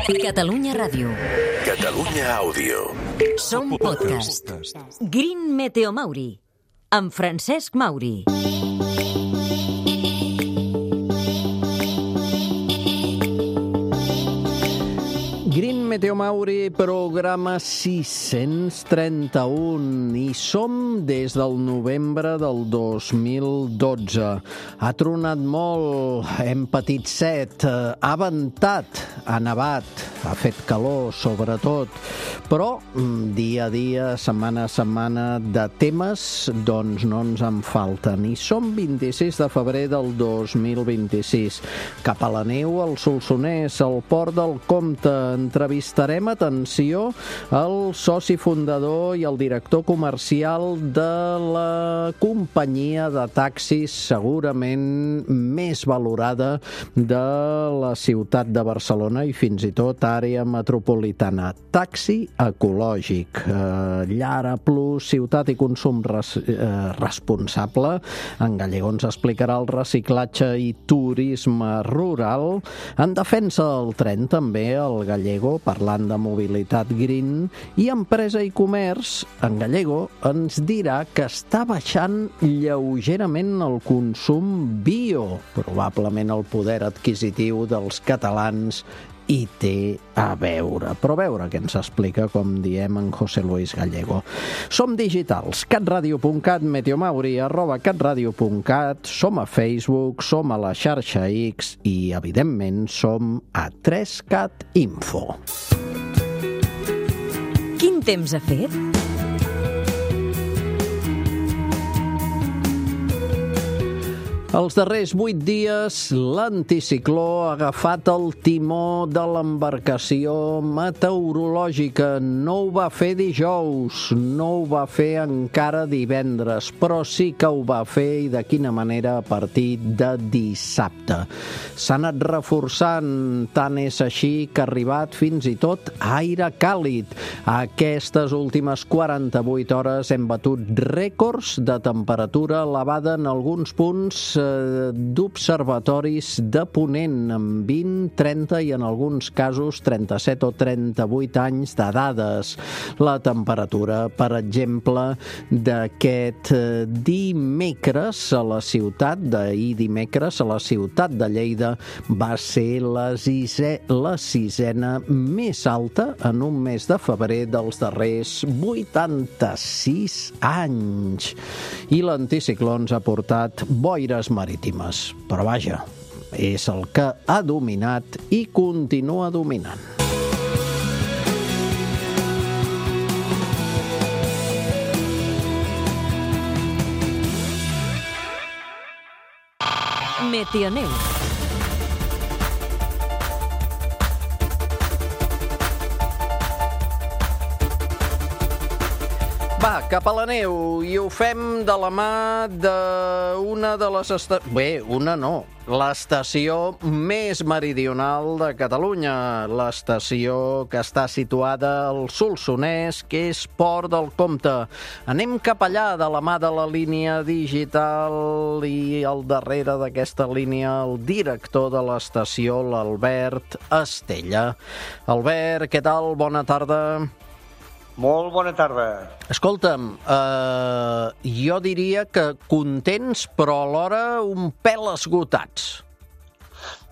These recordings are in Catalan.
Catalunya Ràdio. Catalunya Àudio. Som podcast. Green Meteo Mauri, amb Francesc Mauri. Green Meteo Mauri, programa 631, i som des del novembre del 2012. Ha tronat molt, hem patit set, ha ventat, ha nevat, ha fet calor, sobretot, però dia a dia, setmana a setmana, de temes, doncs no ens en falten. I som 26 de febrer del 2026. Cap a la neu, al Solsonès, al Port del Comte, entrevistarem, atenció, el soci fundador i el director comercial de la companyia de taxis segurament més valorada de la ciutat de Barcelona i fins i tot àrea metropolitana. Taxi ecològic. Llara Plus, ciutat i consum responsable. En Gallego ens explicarà el reciclatge i turisme rural. En defensa del tren també el Gallego, parlant de mobilitat green, i empresa i comerç, en Gallego ens dirà que està baixant lleugerament el consum bio. Probablement el poder adquisitiu dels catalans hi té a veure. Però a veure què ens explica, com diem, en José Luis Gallego. Som digitals, catradio.cat, meteomauri, @catradio.cat, som a Facebook, som a la xarxa X i, evidentment, som a 3Cat Info. Quin temps ha fet? Els darrers 8 dies, l'anticicló ha agafat el timó de l'embarcació meteorològica. No ho va fer dijous, no ho va fer encara divendres, però sí que ho va fer, i de quina manera, a partir de dissabte. S'ha anat reforçant, tant és així que ha arribat fins i tot aire càlid. Aquestes últimes 48 hores hem batut rècords de temperatura elevada en alguns punts d'observatoris de Ponent, amb 20, 30 i en alguns casos 37 o 38 anys de dades. La temperatura, per exemple, d'aquest dimecres a la ciutat, d'ahir dimecres a la ciutat de Lleida, va ser la sisena més alta en un mes de febrer dels darrers 86 anys. I l'anticicló ens ha portat boires marítimes. Però vaja, és el que ha dominat i continua dominant. Meteoneu. Va, cap a la neu, i ho fem de la mà d'una de les estacions... Bé, una no, l'estació més meridional de Catalunya, l'estació que està situada al Solsonès, que és Port del Comte. Anem cap allà de la mà de la línia digital, i al darrere d'aquesta línia el director de l'estació, l'Albert Estella. Albert, què tal? Bona tarda. Molt bona tarda. Escolta'm, jo diria que contents, però alhora un pèl esgotats.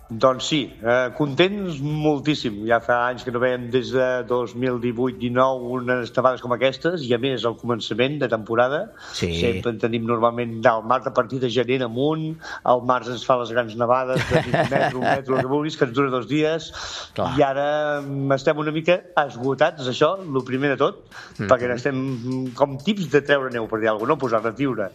Doncs sí, contents moltíssim. Ja fa anys que no veiem des de 2018-19 unes nevades com aquestes, i a més al començament de temporada. Sí. Sempre en tenim normalment al març, a partir de gener amunt. Al març ens fa les grans nevades de un metre, el que vulguis, que ens dura 2 dies. Clar. I ara estem una mica esgotats, això, el primer de tot, perquè estem com tips de treure neu, per dir alguna cosa, no posar-la a viure.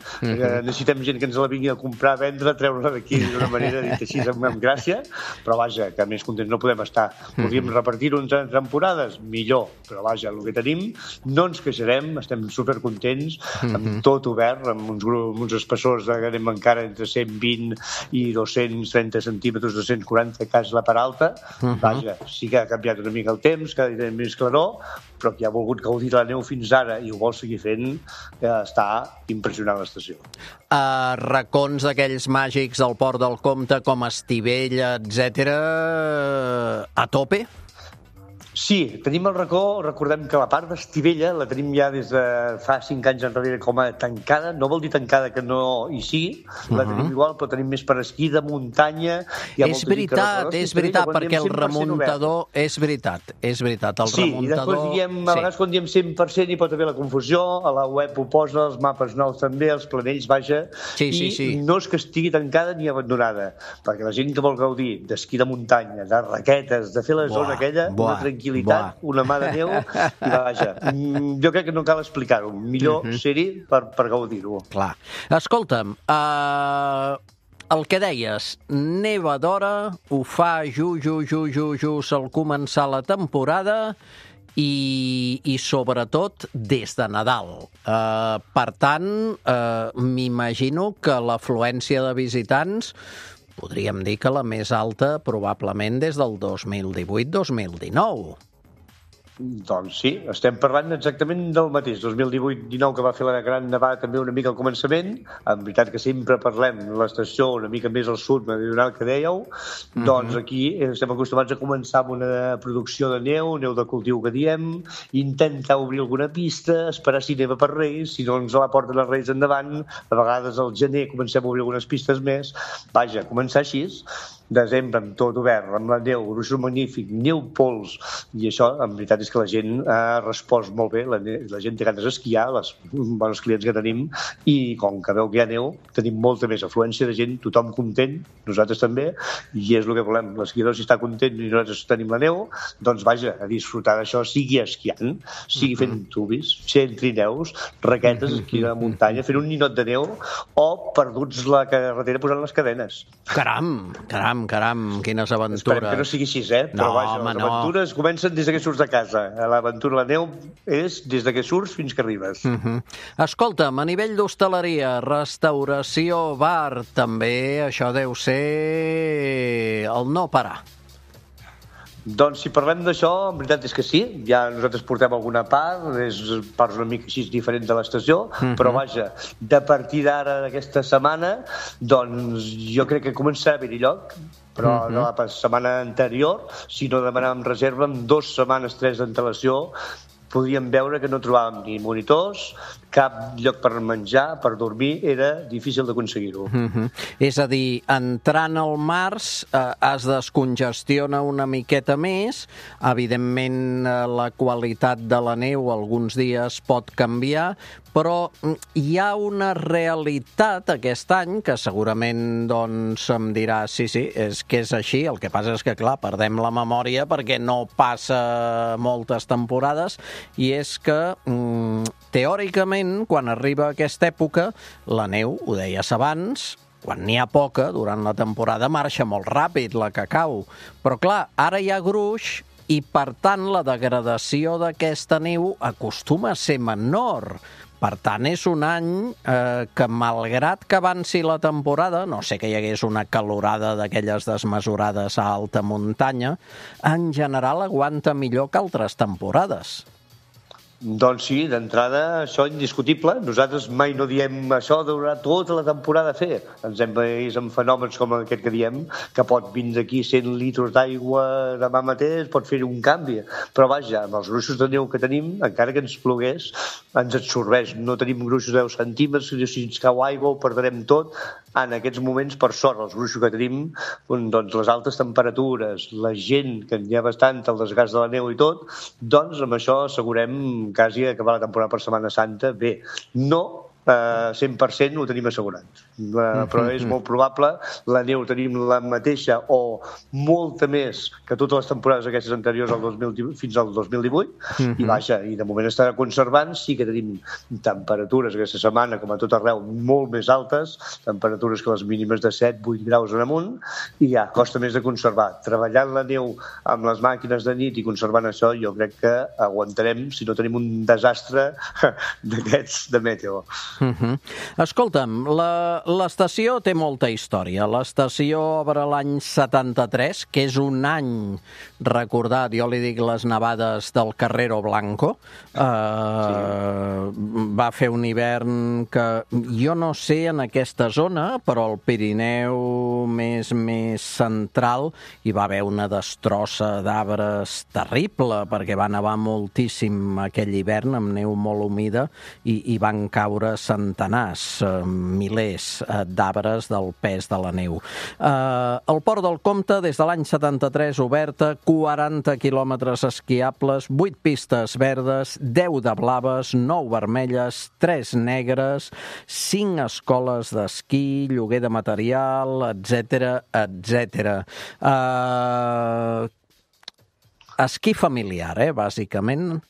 Necessitem gent que ens la vingui a comprar, a vendre, treure-la d'aquí d'una manera, dit així, amb gràcia. Però vaja, que més contents no podem estar. Podríem repartir-ho entre temporades, millor, però vaja, el que tenim no ens queixarem, estem supercontents, amb tot obert, amb uns espessors que anem encara entre 120 i 230 centímetres, 240 cas la part alta. Vaja, sí que ha canviat una mica el temps, cada dia més claror, però qui ha volgut gaudir de la neu fins ara i ho vol seguir fent, està impressionant l'estació. Racons d'aquells màgics del Port del Comte, com Estivella, etc., a tope? Sí, tenim el racó, recordem que la part d'Estivella la tenim ja des de fa 5 anys enrere com a tancada, no vol dir tancada que no hi sigui, la tenim igual, però tenim més per esquí de muntanya. És veritat, perquè el remuntador... És veritat, el remuntador... Sí, i després diem, a vegades quan diem 100% hi pot haver la confusió, a la web ho posa, els mapes nous també, els planells, vaja, i no és que estigui tancada ni abandonada, perquè la gent que vol gaudir d'esquí de muntanya, de raquetes, de fer la zona aquella, una tranquil·litat, una mà de neu, i vaja, jo crec que no cal explicar-ho, millor ser-hi per gaudir-ho. Clar. Escolta'm, el que deies, neva d'hora, ho fa just al començar la temporada i sobretot des de Nadal. Per tant, m'imagino que l'afluència de visitants podríem dir que la més alta probablement des del 2018-2019. Doncs sí, estem parlant exactament del mateix. 2018-19, que va fer la gran nevada també una mica al començament, en veritat que sempre parlem de l'estació una mica més al sud meridional que dèieu, doncs aquí estem acostumats a començar amb una producció de neu de cultiu que diem, intentar obrir alguna pista, esperar si neva per Reis, si no ens la porten els Reis endavant, a vegades al gener comencem a obrir algunes pistes més, vaja, començar així, desembre amb tot obert, amb la neu, gruixos magnífic, neu pols, i això en veritat és que la gent ha respost molt bé, la gent té ganes d'esquiar, els bons clients que tenim, i com que veu que hi ha neu, tenim molta més afluència de gent, tothom content, nosaltres també, i és el que volem, l'esquiador si està content i nosaltres tenim la neu, doncs vaja, a disfrutar d'això, sigui esquiant, sigui fent tubis, sent trineus, raquetes, esquí de muntanya, fent un ninot de neu, o perduts la carretera posant les cadenes. Caram, quines aventures. Esperem que no sigui així, però vaja, les aventures comencen des que surts de casa. L'aventura, la neu, és des que surts fins que arribes. Escolta'm, a nivell d'hostaleria, restauració, bar, també això deu ser el no parar. Doncs si parlem d'això, en veritat és que sí, ja nosaltres portem alguna part, és parts una mica així diferents de l'estació, però vaja, de partir d'ara d'aquesta setmana, doncs jo crec que començarà a haver-hi lloc, però no la setmana anterior, si no demanàvem reserva, amb 2 setmanes, 3 d'antelació, podíem veure que no trobàvem ni monitors, cap lloc per menjar, per dormir, era difícil d'aconseguir-ho. És a dir, entrant al març es descongestiona una miqueta més, evidentment la qualitat de la neu alguns dies pot canviar, però hi ha una realitat aquest any que segurament doncs em dirà sí, és que és així, el que passa és que clar, perdem la memòria perquè no passa moltes temporades i és que teòricament quan arriba aquesta època la neu, ho deies abans, quan n'hi ha poca, durant la temporada marxa molt ràpid la que cau, però clar, ara hi ha gruix i per tant la degradació d'aquesta neu acostuma a ser menor. Per tant, és un any que, malgrat que avanci la temporada, no sé que hi hagués una calorada d'aquelles desmesurades a alta muntanya, en general aguanta millor que altres temporades. Doncs sí, d'entrada, això indiscutible. Nosaltres mai no diem això de durar tota la temporada a fer. Ens hem vist en fenòmens com aquest que diem, que pot vindre aquí 100 litres d'aigua demà mateix, pot fer un canvi. Però vaja, amb els gruixos de neu que tenim, encara que ens plogués, ens absorbeix. No tenim gruixos de 10 centímetres, si ens cau aigua ho perdrem tot. En aquests moments, per sort, els gruixos que tenim, doncs les altes temperatures, la gent, que n'hi ha bastant, el desgast de la neu i tot, doncs amb això assegurem quasi acabar la temporada per Setmana Santa bé. No 100% ho tenim assegurat, però és molt probable, la neu tenim la mateixa o molta més que totes les temporades aquestes anteriors fins al 2018 i vaja, i de moment estarà conservant. Sí que tenim temperatures aquesta setmana com a tot arreu molt més altes, temperatures que les mínimes de 7-8 graus en amunt, i ja costa més de conservar. Treballant la neu amb les màquines de nit i conservant això, jo crec que aguantarem si no tenim un desastre d'aquests de meteo. Escolta'm, l'estació té molta història. L'estació obre l'any 73, que és un any recordat, jo li dic les nevades del Carrero Blanco. Va fer un hivern que jo no sé en aquesta zona, però al Pirineu més central hi va haver una destrossa d'arbres terrible, perquè va nevar moltíssim aquell hivern amb neu molt humida i van caure centenars, milers d'arbres del pes de la neu. El Port del Comte, des de l'any 73, oberta, 40 quilòmetres esquiables, 8 pistes verdes, 10 de blaves, 9 vermelles, 3 negres, 5 escoles d'esquí, lloguer de material, etc. Esquí familiar, bàsicament.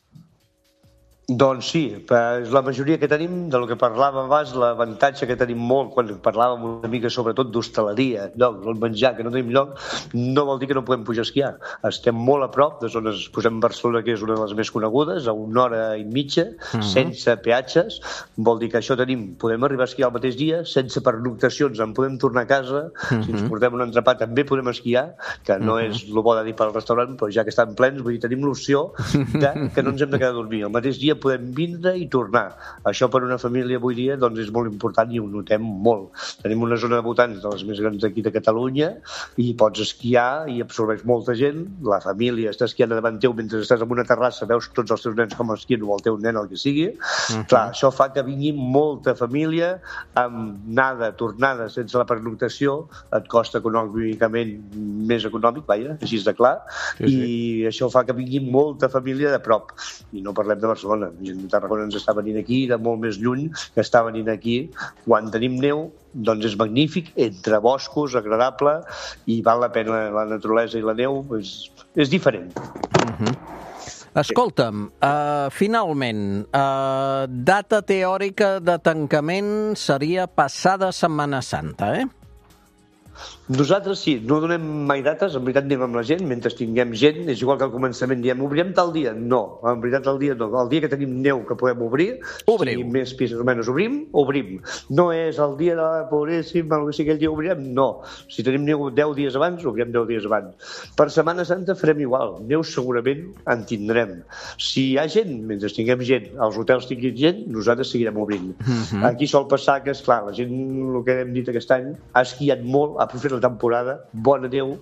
Doncs sí, la majoria que tenim, del que parlàvem abans, l'avantatge que tenim molt quan parlàvem una mica sobretot d'hostaleria, el menjar, que no tenim lloc, no vol dir que no podem pujar a esquiar. Estem molt a prop de zones, posem Barcelona, que és una de les més conegudes, a 1 hora i mitja, sense peatges, vol dir que això tenim, podem arribar a esquiar el mateix dia, sense pernoctacions, en podem tornar a casa, si ens portem un entrepà també podem esquiar, que no és el bo de dir pel restaurant, però ja que estan plens, vull dir, tenim l'opció que no ens hem de quedar a dormir. El mateix dia podem vindre i tornar. Això per una família avui dia doncs és molt important i ho notem molt. Tenim una zona de voltants de les més grans d'aquí de Catalunya i pots esquiar i absorbeix molta gent. La família està esquiant davant teu mentre estàs en una terrassa, veus tots els teus nens com esquien o el teu nen, el que sigui. Clar, això fa que vingui molta família amb anada, tornada, sense la pernoctació, et costa econòmicament més econòmic, així és de clar, i això fa que vingui molta família de prop. I no parlem de Barcelona. Gent de Tarragona ens està venint aquí, de molt més lluny, que està venint aquí. Quan tenim neu, doncs és magnífic, entre boscos, agradable, i val la pena la naturalesa i la neu, és diferent. Escolta'm, finalment, data teòrica de tancament seria passada Setmana Santa, Nosaltres sí, no donem mai dates, en veritat anem amb la gent, mentre tinguem gent, és igual que al començament diem, obrirem tal dia? No, en veritat el dia no. El dia que tenim neu que podem obrir, si més pistes o menys obrim. No és el dia de la pobríssim, si aquell dia obrirem, no. Si tenim neu 10 dies abans, obrirem 10 dies abans. Per Setmana Santa farem igual, neu segurament en tindrem. Si hi ha gent, mentre tinguem gent, els hotels tinguin gent, nosaltres seguirem obrint. Aquí sol passar que, esclar, la gent, el que hem dit aquest any, ha esquiat molt, ha aprofit la temporada, bona neu,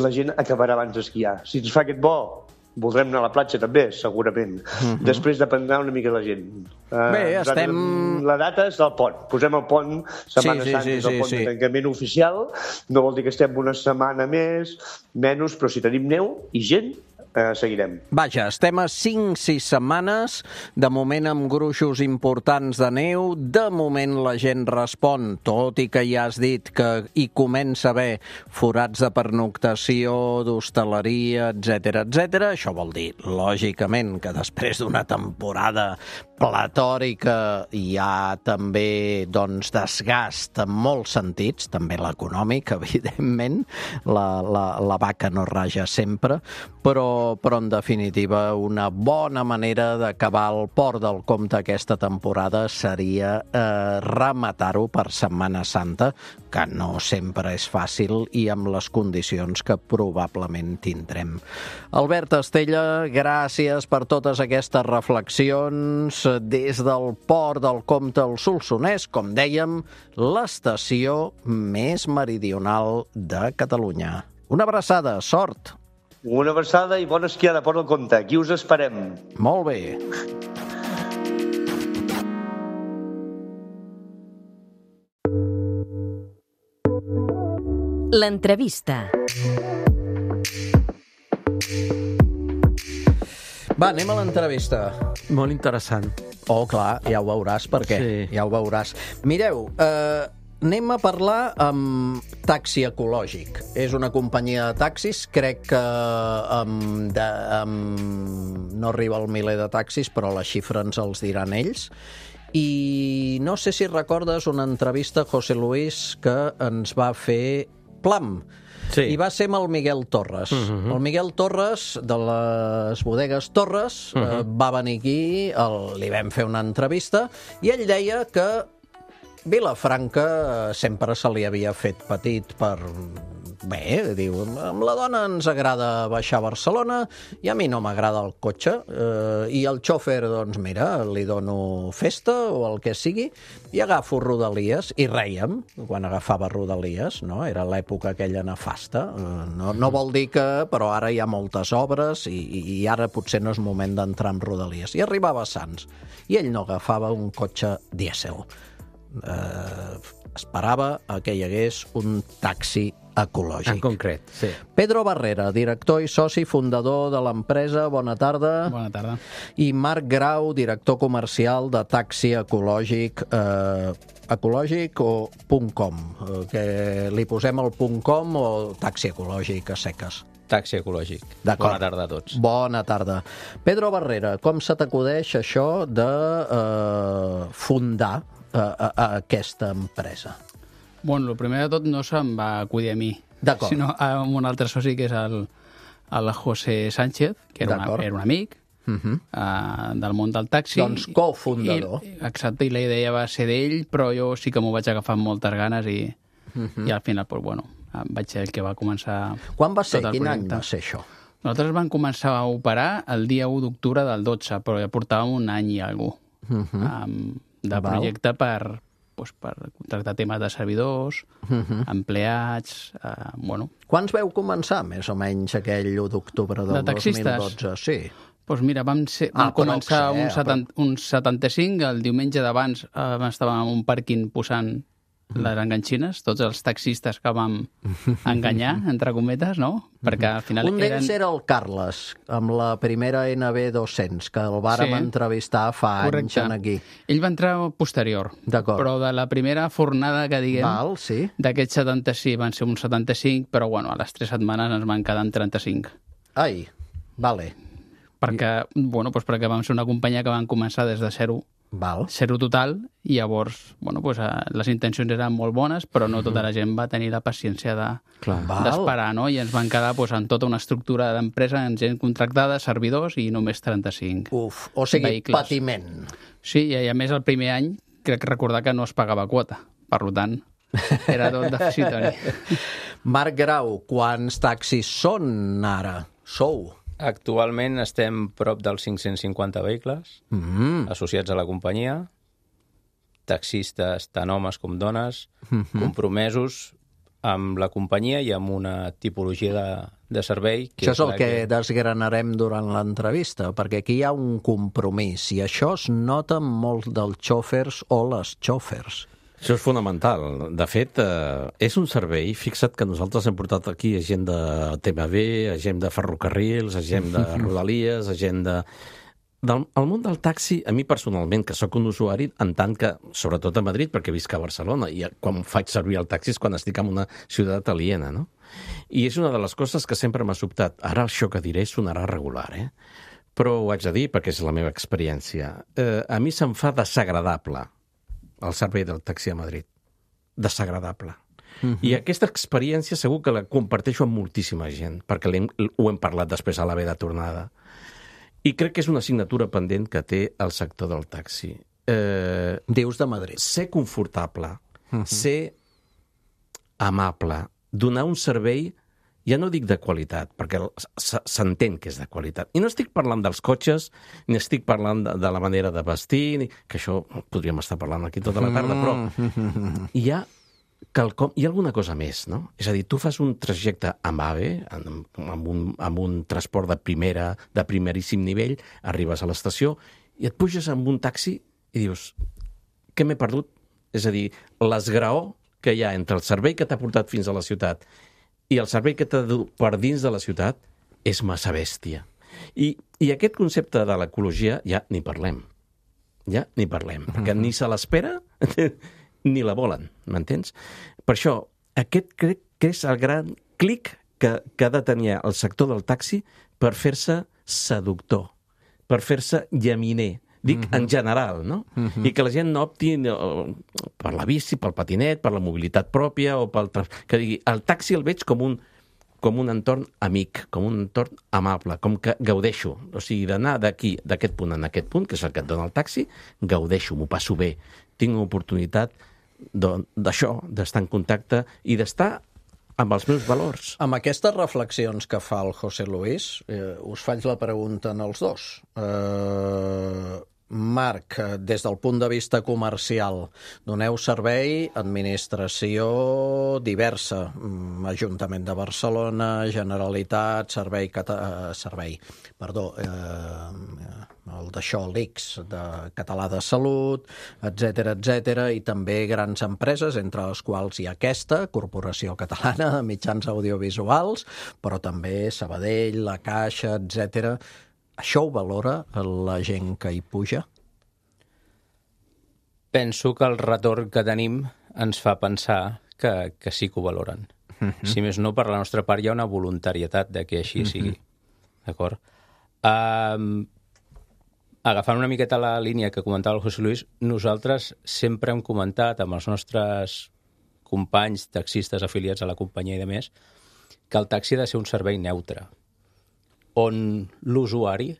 la gent acabarà abans d'esquiar. Si ens fa aquest bo, voldrem anar a la platja també, segurament. Després dependrà una mica la gent. La data és el pont. Posem el pont, Setmana Santa és el pont de tancament oficial. No vol dir que estem una setmana més, menys, però si tenim neu i gent, seguirem. Vaja, estem a 5-6 setmanes, de moment amb gruixos importants de neu, de moment la gent respon, tot i que ja has dit que hi comença a haver forats de pernoctació, d'hostaleria, etc. Això vol dir, lògicament, que després d'una temporada platòrica hi ha també desgast en molts sentits, també l'econòmic, evidentment, la vaca no raja sempre, però en definitiva una bona manera d'acabar el Port del Comte aquesta temporada seria rematar-ho per Setmana Santa, que no sempre és fàcil i amb les condicions que probablement tindrem. Albert Estella, gràcies per totes aquestes reflexions des del Port del Comte al Solsonès, com dèiem, l'estació més meridional de Catalunya. Una abraçada, sort! Una abraçada i bona esquiada, Port del Comte. Aquí us esperem. Molt bé. L'entrevista. Va, anem a l'entrevista. Molt interessant. Oh, clar, ja ho veuràs per què. Sí. Ja ho veuràs. Mireu, anem a parlar amb Taxi Ecològic. És una companyia de taxis, crec que no arriba al miler de taxis, però la xifra ens els diran ells. I no sé si recordes una entrevista, José Luis, que ens va fer plam. Sí. I va ser amb el Miguel Torres. El Miguel Torres, de les bodegues Torres, va venir aquí, li vam fer una entrevista, i ell deia que Vilafranca sempre se li havia fet petit per... Bé, diu, amb la dona ens agrada baixar a Barcelona i a mi no m'agrada el cotxe. I el xòfer, doncs mira, li dono festa o el que sigui i agafo Rodalies i rèiem quan agafava Rodalies, no? Era l'època aquella nefasta. No vol dir que, però ara hi ha moltes obres i ara potser no és moment d'entrar en Rodalies. I arribava a Sants i ell no agafava un cotxe dièsel. Esperava que hi hagués un taxi ecològic. En concret, sí. Pedro Barrera, director i soci fundador de l'empresa, bona tarda. Bona tarda. I Marc Grau, director comercial de taxi ecològic, ecològic o .com, que li posem el .com o taxi ecològic a seques. Taxi ecològic. Bona tarda a tots. Bona tarda. Pedro Barrera, com se t'acudeix això de fundar aquesta empresa? Bueno, el primer de tot no se'm va acudir a mi, sinó a un altre soci que és el José Sánchez, que era un amic del món del taxi. Doncs cofundador. Exacte, i la idea va ser d'ell, però jo sí que m'ho vaig agafar amb moltes ganes i al final, pues, bueno, vaig ser el que va començar. Quan va ser? Quin any va ser això? Nosaltres vam començar a operar el dia 1 d'octubre del 12, però ja portàvem un any i alguna cosa de projecte per contractar temes de servidors, empleats, bueno. Quants veu començar, més o menys, aquell 1 d'octubre del 2012? Sí. Doncs mira, vam començar uns 75, el diumenge d'abans estàvem en un pàrquing posant les enganxines, tots els taxistes que vam enganyar, entre cometes, no? Perquè al final un d'ells era el Carles, amb la primera NB200, que el vàrem entrevistar fa anys aquí. Ell va entrar posterior, però de la primera fornada que diguem, d'aquests 76 van ser uns 75, però bueno, a les 3 setmanes ens van quedar en 35. Ai, vale. Perquè vam ser una companyia que van començar des de zero, zero total, i llavors les intencions eren molt bones, però no tota la gent va tenir la paciència d'esperar, no? I ens van quedar amb tota una estructura d'empresa, amb gent contractada, servidors i només 35 Uf, o sigui, vehicles. patiment. Sí, i a més el primer any crec recordar que no es pagava quota, per tant era tot deficitori. Marc Grau, quants taxis són ara? Sou? Actualment estem prop dels 550 vehicles associats a la companyia, taxistes tant homes com dones, compromesos amb la companyia i amb una tipologia de servei. Això és el que desgranarem durant l'entrevista, perquè aquí hi ha un compromís i això es nota molt dels xòfers o les xòfers. Això és fonamental. De fet, és un servei, fixa't que nosaltres hem portat aquí gent de TMB, gent de ferrocarrils, gent de Rodalies, gent de... El món del taxi, a mi personalment, que sóc un usuari, en tant que, sobretot a Madrid, perquè visc a Barcelona, i quan faig servir el taxi és quan estic en una ciutat aliena, no? I és una de les coses que sempre m'ha sobtat. Ara això que diré sonarà regular, però ho haig de dir perquè és la meva experiència. A mi se'm fa desagradable el servei del taxi a Madrid. Desagradable. I aquesta experiència segur que la comparteixo amb moltíssima gent, perquè ho hem parlat després a la ve de tornada. I crec que és una assignatura pendent que té el sector del taxi. Dius de Madrid. Ser confortable, ser amable, donar un servei, ja no dic de qualitat, perquè s'entén que és de qualitat. I no estic parlant dels cotxes, ni estic parlant de la manera de vestir, que això podríem estar parlant aquí tota la tarda, però hi ha alguna cosa més, no? És a dir, tu fas un trajecte amb AVE, amb un transport de primeríssim nivell, arribes a l'estació i et puges amb un taxi i dius, què m'he perdut? És a dir, l'esgraó que hi ha entre el servei que t'ha portat fins a la ciutat i el servei que t'ha dut per dins de la ciutat és massa bèstia. I aquest concepte de l'ecologia ja ni parlem. Perquè ni se l'espera ni la volen, m'entens? Per això, aquest crec que és el gran clic que ha de tenir el sector del taxi per fer-se seductor, per fer-se llaminer, dic en general, no? I que la gent no opti per la bici, pel patinet, per la mobilitat pròpia, o pel... que digui, el taxi el veig com un entorn amic, com un entorn amable, com que gaudeixo. O sigui, d'anar d'aquest punt a aquest punt, que és el que et dona el taxi, gaudeixo, m'ho passo bé. Tinc una oportunitat d'això, d'estar en contacte i d'estar amb els meus valors. Amb aquestes reflexions que fa el José Luis, us faig la pregunta en els dos. Marc, des del punt de vista comercial, doneu servei, administració diversa, Ajuntament de Barcelona, Generalitat, el d'això, l'ICS, de Català de Salut, etc, i també grans empreses, entre les quals hi ha aquesta, Corporació Catalana de Mitjans Audiovisuals, però també Sabadell, la Caixa, etc. Això ho valora la gent que hi puja? Penso que el retorn que tenim ens fa pensar que sí que ho valoren. Si més no, per la nostra part hi ha una voluntarietat de que així sigui. D'acord? Agafant una miqueta la línia que comentava el José Luis, nosaltres sempre hem comentat amb els nostres companys taxistes afiliats a la companyia i de més que el taxi ha de ser un servei neutre, on l'usuari,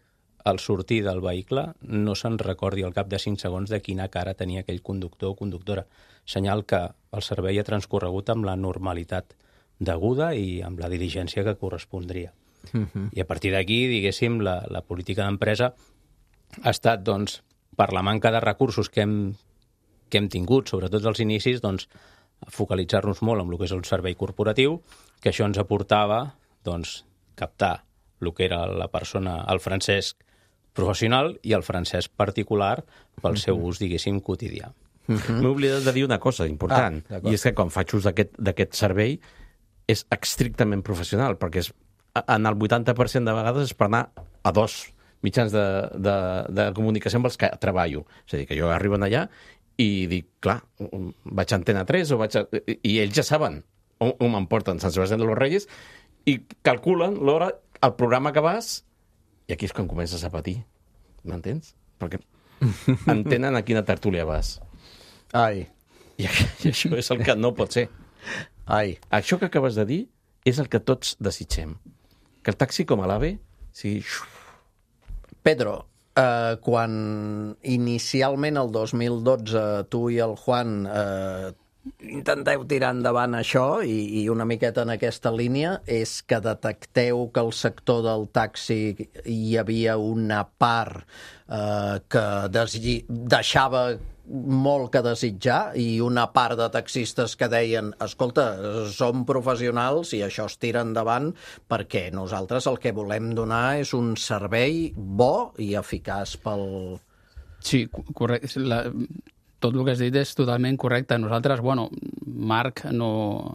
al sortir del vehicle, no se'n recordi al cap de 5 segons de quina cara tenia aquell conductor o conductora. Senyal que el servei ha transcorregut amb la normalitat deguda i amb la diligència que correspondria. I a partir d'aquí, diguéssim, la política d'empresa ha estat, doncs, per la manca de recursos que hem tingut, sobretot als inicis, doncs, focalitzar-nos molt en el que és el servei corporatiu, que això ens aportava, doncs, captar el que era la persona, el Francesc professional i el Francesc particular pel seu ús, diguéssim, quotidià. M'he oblidat de dir una cosa important, i és que quan faig ús d'aquest servei és estrictament professional, perquè en el 80% de vegades és per anar a 2 mitjans de comunicació amb els que treballo. És a dir, que jo arribo allà i dic, clar, vaig a Antena 3 i ells ja saben on m'emporten Sant Sebastián de los Reyes i calculen l'hora, el programa que vas, i aquí és quan comences a patir, m'entens? Perquè entenen a quina tertúlia vas. Ai. I això és el que no pot ser. Ai. Això que acabes de dir és el que tots desitgem. Que el taxi com a l'AVE sigui... Pedro, quan inicialment el 2012 tu i el Juan intenteu tirar endavant això i una miqueta en aquesta línia, és que detecteu que al sector del taxi hi havia una part que deixava molt que desitjar i una part de taxistes que deien, escolta, som professionals i això es tira endavant perquè nosaltres el que volem donar és un servei bo i eficaç pel... Sí, correcte. Tot el que has dit és totalment correcte. Nosaltres, Marc no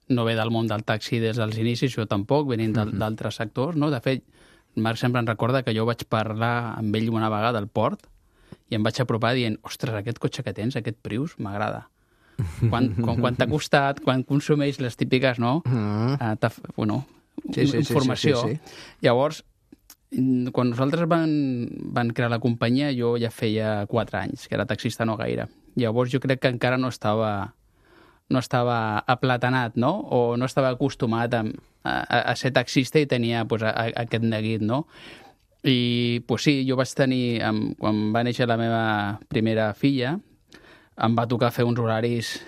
ve del món del taxi des dels inicis, jo tampoc, venint d'altres sectors, no? De fet, Marc sempre em recorda que jo vaig parlar amb ell una vegada al port i em vaig apropar dient, ostres, aquest cotxe que tens, aquest Prius, m'agrada. Quan t'ha costat, quan consumeix les típiques, no? Informació. Sí. Llavors, quan nosaltres van crear la companyia, jo ja feia 4 anys, que era taxista no gaire. Llavors jo crec que encara no estava aplatanat, no? O no estava acostumat a ser taxista i tenia aquest neguit, no? I sí, jo vaig tenir, quan va néixer la meva primera filla, em va tocar fer uns horaris,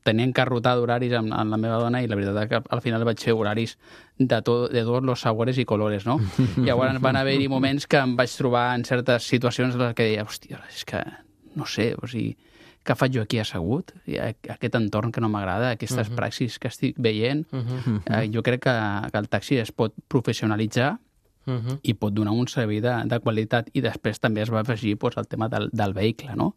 tenia encarrotar d'horaris amb la meva dona i la veritat que al final vaig fer horaris de tots els sabores i colores, no? Llavors van haver-hi moments que em vaig trobar en certes situacions en les que deia, hòstia, és que no sé, o sigui, què faig jo aquí assegut? Aquest entorn que no m'agrada, aquestes praxis que estic veient. Jo crec que el taxi es pot professionalitzar i pot donar un servei de qualitat i després també es va afegir el tema del vehicle, no?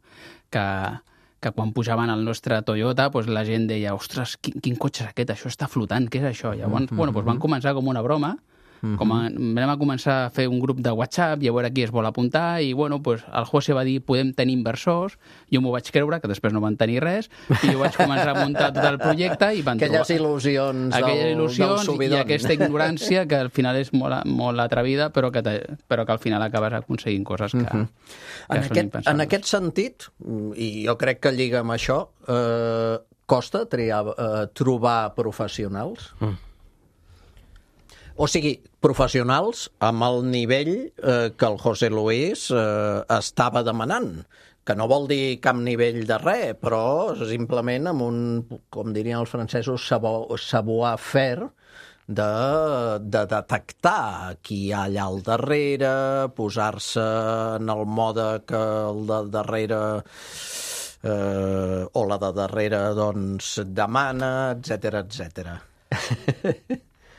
Que quan pujaven al nostre Toyota la gent deia, ostres, quin cotxe és aquest? Això està flotant, què és això? Llavors van començar com una broma Vam començar a fer un grup de WhatsApp i a veure qui es vol apuntar i, bueno, pues, el José va dir podem tenir inversors, jo m'ho vaig creure, que després no van tenir res, i jo vaig començar a muntar tot el projecte i van Aquelles il·lusions del subidon. I aquesta ignorància que al final és molt atrevida, però que al final acabes aconseguint coses que són impensables. En aquest sentit, i jo crec que lliga amb això, costa trobar professionals? O sigui, professionals amb el nivell que el José Luis estava demanant, que no vol dir cap nivell de res, però simplement amb un, com dirien els francesos, savoir-faire, de detectar qui hi ha allà al darrere, posar-se en el mode que el de darrere o la de darrere doncs demana, etc.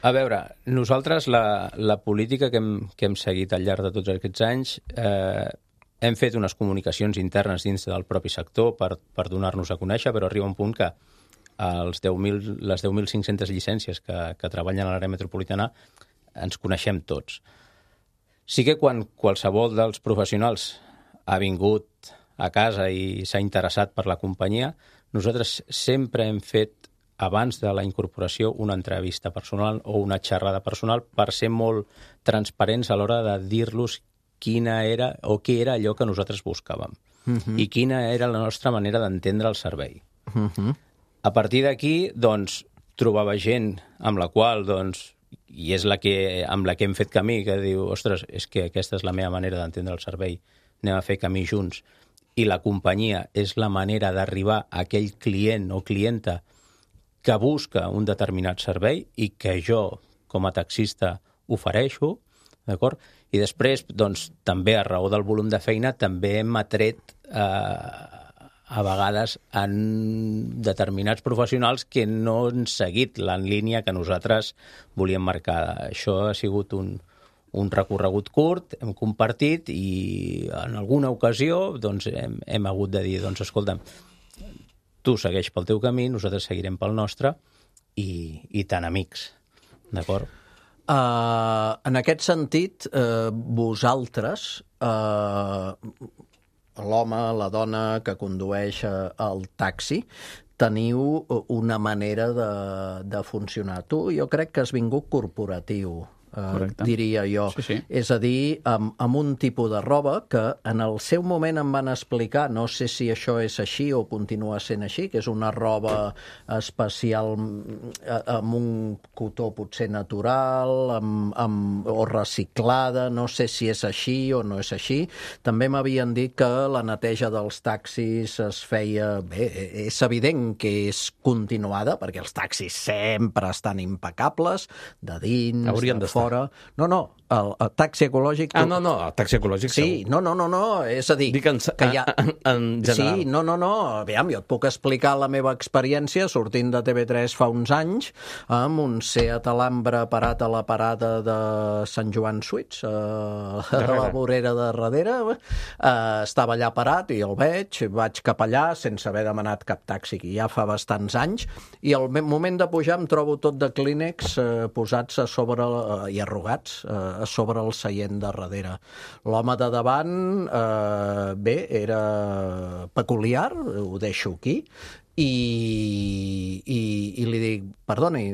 A veure, nosaltres la política que hem seguit al llarg de tots aquests anys hem fet unes comunicacions internes dins del propi sector per donar-nos a conèixer, però arriba un punt que les 10.500 llicències que treballen a l'àrea metropolitana ens coneixem tots. Sí que quan qualsevol dels professionals ha vingut a casa i s'ha interessat per la companyia, nosaltres sempre hem fet, abans de la incorporació, una entrevista personal o una xerrada personal per ser molt transparents a l'hora de dir-los quina era o què era allò que nosaltres buscàvem i quina era la nostra manera d'entendre el servei. A partir d'aquí, doncs, trobava gent amb la qual, doncs, i és amb la que hem fet camí, que diu, ostres, és que aquesta és la meva manera d'entendre el servei, anem a fer camí junts, i la companyia és la manera d'arribar a aquell client o clienta que busca un determinat servei i que jo, com a taxista, ofereixo, d'acord? I després, doncs, també a raó del volum de feina, també hem atret a vegades en determinats professionals que no han seguit la línia que nosaltres volíem marcar. Això ha sigut un recorregut curt, hem compartit i en alguna ocasió doncs, hem hagut de dir, doncs, escolta'm, tu segueix pel teu camí, nosaltres seguirem pel nostre i tan amics, d'acord? En aquest sentit, vosaltres, l'home, la dona que condueix el taxi, teniu una manera de funcionar. Tu, jo crec que has vingut corporatiu, diria jo. Sí. És a dir, amb un tipus de roba que en el seu moment em van explicar, no sé si això és així o continua sent així, que és una roba especial amb un cotó potser natural o reciclada, no sé si és així o no és així. També m'havien dit que la neteja dels taxis es feia... Bé, és evident que és continuada, perquè els taxis sempre estan impecables, de dins, de fora. No, el taxi ecològic... No, el taxi ecològic sí, segur. No, és a dir... Dic que hi ha... en general. Sí, no, aviam, jo et puc explicar la meva experiència sortint de TV3 fa uns anys amb un Seat Alhambra parat a la parada de Sant Joan Suits, a la vorera de darrere. Estava allà parat i el vaig cap allà sense haver demanat cap taxi, que ja fa bastants anys, i al moment de pujar em trobo tot de clínex posats a sobre i arrugats a sobre el seient de darrere. L'home de davant, bé, era peculiar, ho deixo aquí, i li dic, perdoni,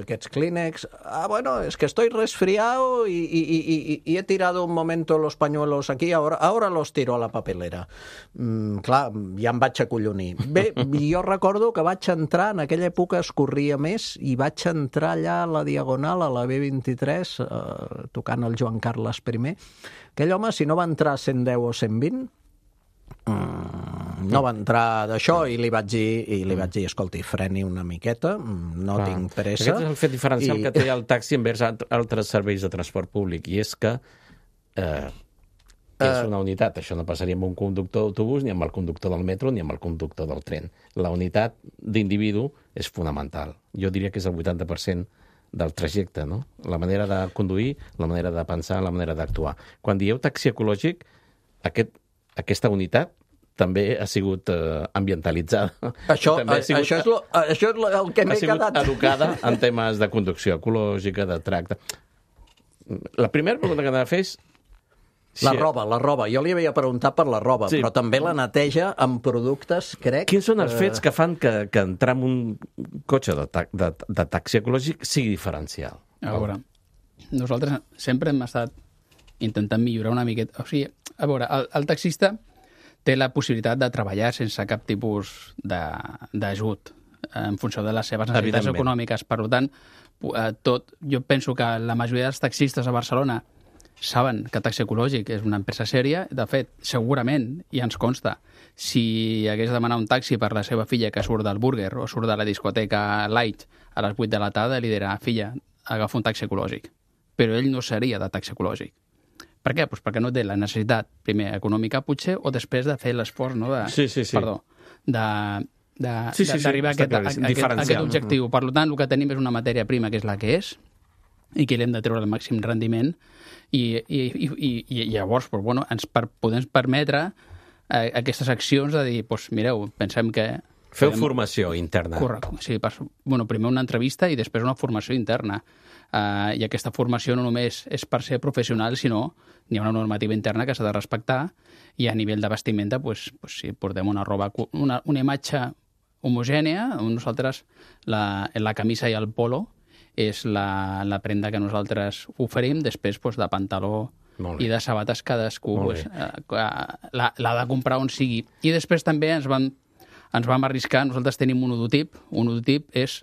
aquests clínex, bueno, es que estoy resfriado y he tirado un momento los pañuelos aquí, ahora los tiro a la papelera. Clar, ja em vaig acollonir. Bé, jo recordo que vaig entrar, en aquella època es corria més, i vaig entrar allà a la Diagonal, a la B23, tocant el Joan Carles I. Aquell home, si no va entrar a 110 o 120, no va entrar d'això, i li vaig dir, escolti, freni una miqueta, no tinc pressa. Aquest és el fet diferencial que té el taxi envers altres serveis de transport públic, i és que és una unitat. Això no passaria amb un conductor d'autobús, ni amb el conductor del metro, ni amb el conductor del tren. La unitat d'individu és fonamental. Jo diria que és el 80% del trajecte, no? La manera de conduir, la manera de pensar, la manera d'actuar. Quan dieu taxi ecològic, aquesta unitat també ha sigut ambientalitzada. Això és el que m'he quedat. Ha sigut educada en temes de conducció ecològica, de tracte. La primera pregunta que t'ha de fer és... La roba. Jo li havia preguntat per la roba, però també la neteja amb productes, crec... Quins són els fets que fan que entrar en un cotxe de taxi ecològic sigui diferencial? A veure, nosaltres sempre hem estat intentant millorar una miqueta. O sigui, a veure, el taxista té la possibilitat de treballar sense cap tipus d'ajut en funció de les seves necessitats econòmiques. Per tant, jo penso que la majoria dels taxistes a Barcelona saben que Taxi Ecològic és una empresa sèria. De fet, segurament, i ens consta, si hagués de demanar un taxi per la seva filla que surt del Burger o surt de la discoteca Light a les 8 de la tarda, li dirà, filla, agafa un taxi ecològic. Però ell no seria de taxi ecològic. Per què? Pues perquè no té la necessitat, primer, econòmica, potser, o després de fer l'esforç, no? Perdó, d'arribar a aquest objectiu. Per tant, el que tenim és una matèria prima que és la que és, i que l'hem de treure al màxim rendiment, i llavors ens podem permetre aquestes accions de dir, mireu, pensem que... Feu formació interna. Correcte. Sí, primer una entrevista i després una formació interna. I aquesta formació no només és per ser professional, sinó hi ha una normativa interna que s'ha de respectar, i a nivell de vestimenta, si portem una roba, una imatge homogènia, nosaltres la camisa i el polo és la prenda que nosaltres oferim, després de pantaló i de sabates cadascú l'ha de comprar on sigui. I després també ens vam arriscar, nosaltres tenim un hodotip. Un hodotip és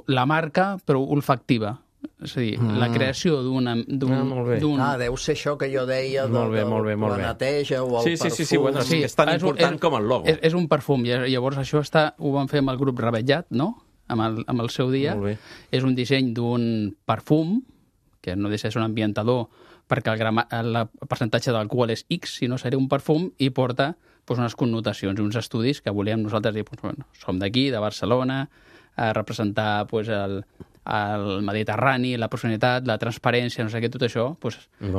la marca, però olfactiva. És a dir, la creació d'un... deu ser això que jo deia de la neteja o el perfum. Sí, bueno, és tan important com el logo. És un perfum, llavors això ho vam fer amb el grup Ravellat, no?, amb el seu dia. És un disseny d'un perfum, que no deixa de ser un ambientador, perquè el percentatge d'alcohol és X, si no seria un perfum, i porta unes connotacions i uns estudis que volíem nosaltres dir, som d'aquí, de Barcelona, a representar el Mediterrani, la proximitat, la transparència, no sé què, tot això,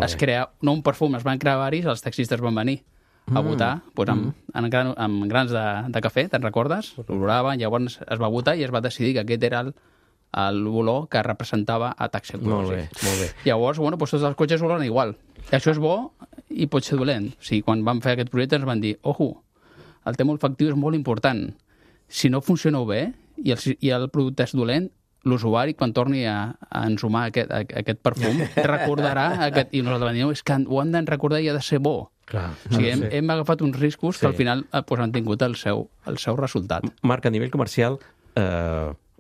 es crea, no un perfum, es van crear varis, els taxistes van venir a votar amb grans de cafè, te'n recordes? L'oloraven, llavors es va votar i es va decidir que aquest era l'olor que representava a Taxi Ecològic. Molt bé. Llavors, tots els cotxes oloren igual. I això és bo i pot ser dolent. O sigui, quan vam fer aquest projecte ens van dir, el tema olfactiu és molt important. Si no funcioneu bé i el producte és dolent, l'usuari, quan torni a ensumar aquest perfum, recordarà i nosaltres vam dir, és que ho han de recordar i ha de ser bo. Clar, o sigui, hem agafat uns riscos que al final han tingut el seu resultat. Marc, a nivell comercial,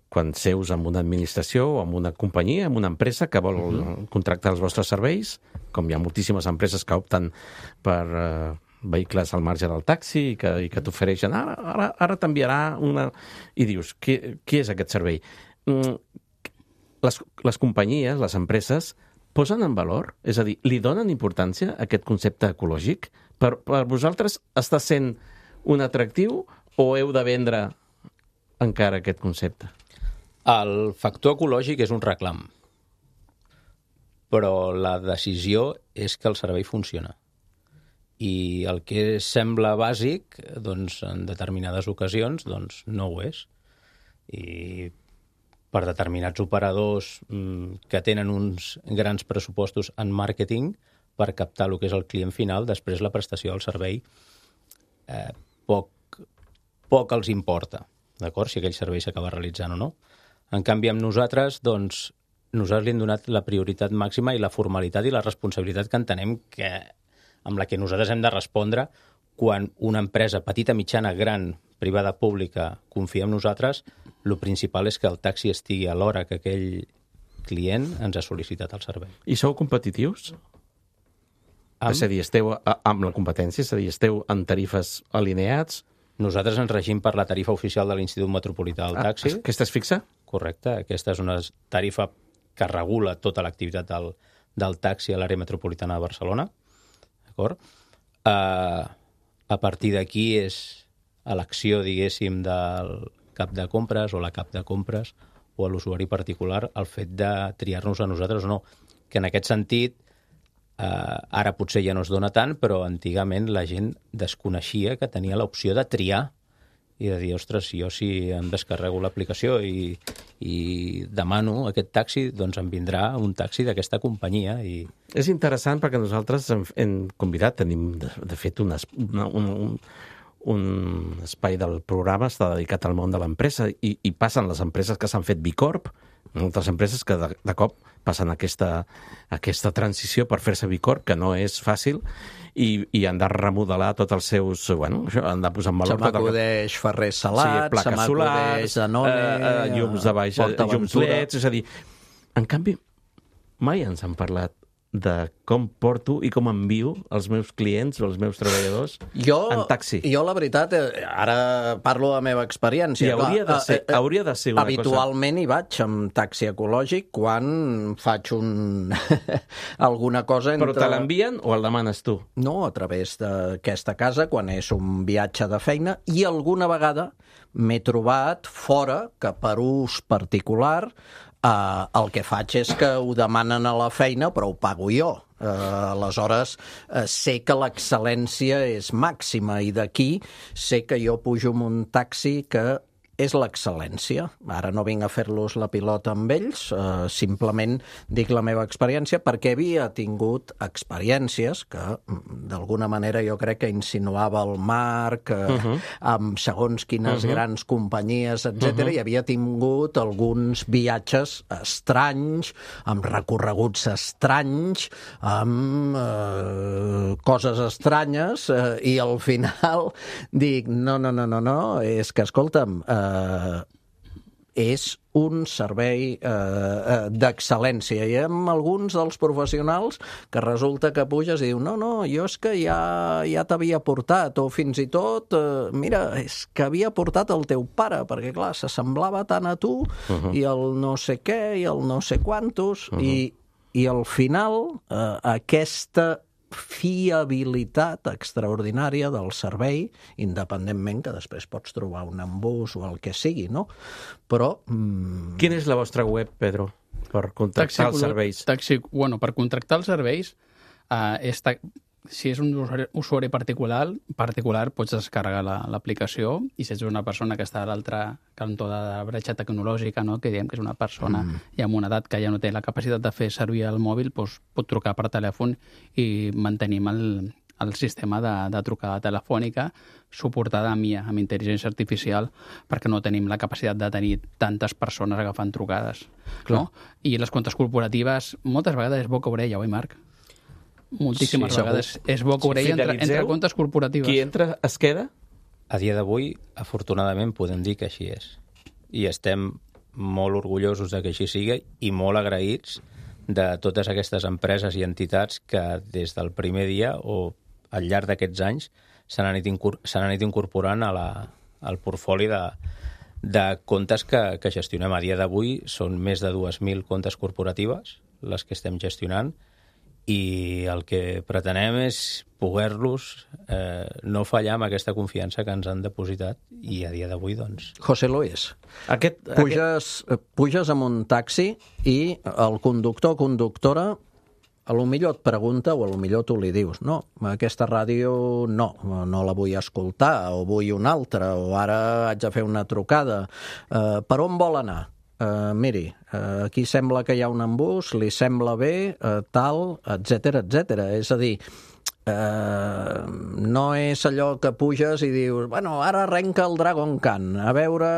quan seus en una administració o en una companyia, en una empresa que vol contractar els vostres serveis, com hi ha moltíssimes empreses que opten per vehicles al marge del taxi i que t'ofereixen, ara t'enviarà una... I dius, què és aquest servei? Les companyies, les empreses, posen en valor? És a dir, li donen importància a aquest concepte ecològic? Per vosaltres està sent un atractiu o heu de vendre encara aquest concepte? El factor ecològic és un reclam, però la decisió és que el servei funciona. I el que sembla bàsic, en determinades ocasions, no ho és. I per determinats operadors que tenen uns grans pressupostos en màrqueting per captar el que és el client final, després la prestació del servei poc els importa, d'acord? Si aquell servei s'acaba realitzant o no. En canvi, amb nosaltres, nosaltres li hem donat la prioritat màxima i la formalitat i la responsabilitat que entenem amb la que nosaltres hem de respondre quan una empresa petita, mitjana, gran, privada, pública, confia en nosaltres, el principal és que el taxi estigui a l'hora que aquell client ens ha sol·licitat el servei. I sou competitius? És a dir, esteu amb la competència? És a dir, esteu en tarifes alineats? Nosaltres ens regim per la tarifa oficial de l'Institut Metropolità del Taxi. Aquesta és fixa? Correcte. Aquesta és una tarifa que regula tota l'activitat del taxi a l'àrea metropolitana de Barcelona. D'acord? A partir d'aquí és elecció, diguéssim, del cap de compres o la cap de compres o a l'usuari particular el fet de triar-nos a nosaltres o no. Que en aquest sentit, ara potser ja no es dona tant, però antigament la gent desconeixia que tenia l'opció de triar i de dir, ostres, jo si em descarrego l'aplicació i demano aquest taxi, doncs em vindrà un taxi d'aquesta companyia. És interessant perquè nosaltres hem convidat, tenim de fet un espai del programa està dedicat al món de l'empresa i passen les empreses que s'han fet B Corp, moltes empreses que de cop passen aquesta transició per fer-se B Corp, que no és fàcil, i han de remodelar tots els seus... Bueno, això, han de posar en valor... Se m'acudeix Ferrer Salat, plaques se m'acudeix Danone... llums de baix, llums LEDs... És a dir, en canvi, mai ens han parlat de com porto i com envio els meus clients o els meus treballadors en taxi. Jo, la veritat, ara parlo de la meva experiència. I hauria de ser una habitualment hi vaig amb taxi ecològic quan faig alguna cosa entre... Però te l'envien o el demanes tu? No, a través d'aquesta casa, quan és un viatge de feina, i alguna vegada m'he trobat fora que per ús particular el que faig és que ho demanen a la feina, però ho pago jo. Aleshores, sé que l'excel·lència és màxima i d'aquí sé que jo pujo amb un taxi que és l'excel·lència. Ara no vinc a fer-los la pilota amb ells, simplement dic la meva experiència perquè havia tingut experiències que d'alguna manera jo crec que insinuava el Marc amb segons quines grans companyies, etc. I havia tingut alguns viatges estranys, amb recorreguts estranys, amb coses estranyes, i al final dic, no, és que, escolta'm, és un servei d'excel·lència. I amb alguns dels professionals que resulta que puges i diu no, jo és que ja t'havia portat, o fins i tot, mira, és que havia portat el teu pare, perquè clar, s'assemblava tant a tu, i el no sé què, i el no sé quantos, i al final aquesta fiabilitat extraordinària del servei, independentment que després pots trobar un embús o el que sigui, no? Però... Quina és la vostra web, Pedro, per contractar els serveis? Per contractar els serveis, si és un usuari particular pots descarregar l'aplicació, i si ets una persona que està a l'altre cantó de la bretxa tecnològica, no? Que diem que és una persona ja amb una edat que ja no té la capacitat de fer servir el mòbil, doncs pot trucar per telèfon i mantenim el sistema de trucada telefònica suportada amb IA, amb intel·ligència artificial, perquè no tenim la capacitat de tenir tantes persones agafant trucades. No? I les comptes corporatives moltes vegades és boca orella, oi, Marc? Moltíssimes vegades és boca orella entre comptes corporatives. Qui entra es queda? A dia d'avui, afortunadament, podem dir que així és. I estem molt orgullosos de que així sigui i molt agraïts de totes aquestes empreses i entitats que des del primer dia o al llarg d'aquests anys s'han anat incorporant al portfoli de comptes que gestionem. A dia d'avui són més de 2.000 comptes corporatives les que estem gestionant, i el que pretenem és poder-los no fallar amb aquesta confiança que ens han depositat, i a dia d'avui, doncs... José Luis, puges amb un taxi i el conductor o conductora a lo millor et pregunta o a lo millor tu li dius no, aquesta ràdio no la vull escoltar, o vull una altra, o ara haig de fer una trucada. Per on vol anar? Miri, aquí sembla que hi ha un embús, li sembla bé, tal, etc. És a dir, no és allò que puges i dius, bueno, ara arrenca el Dragon Khan, a veure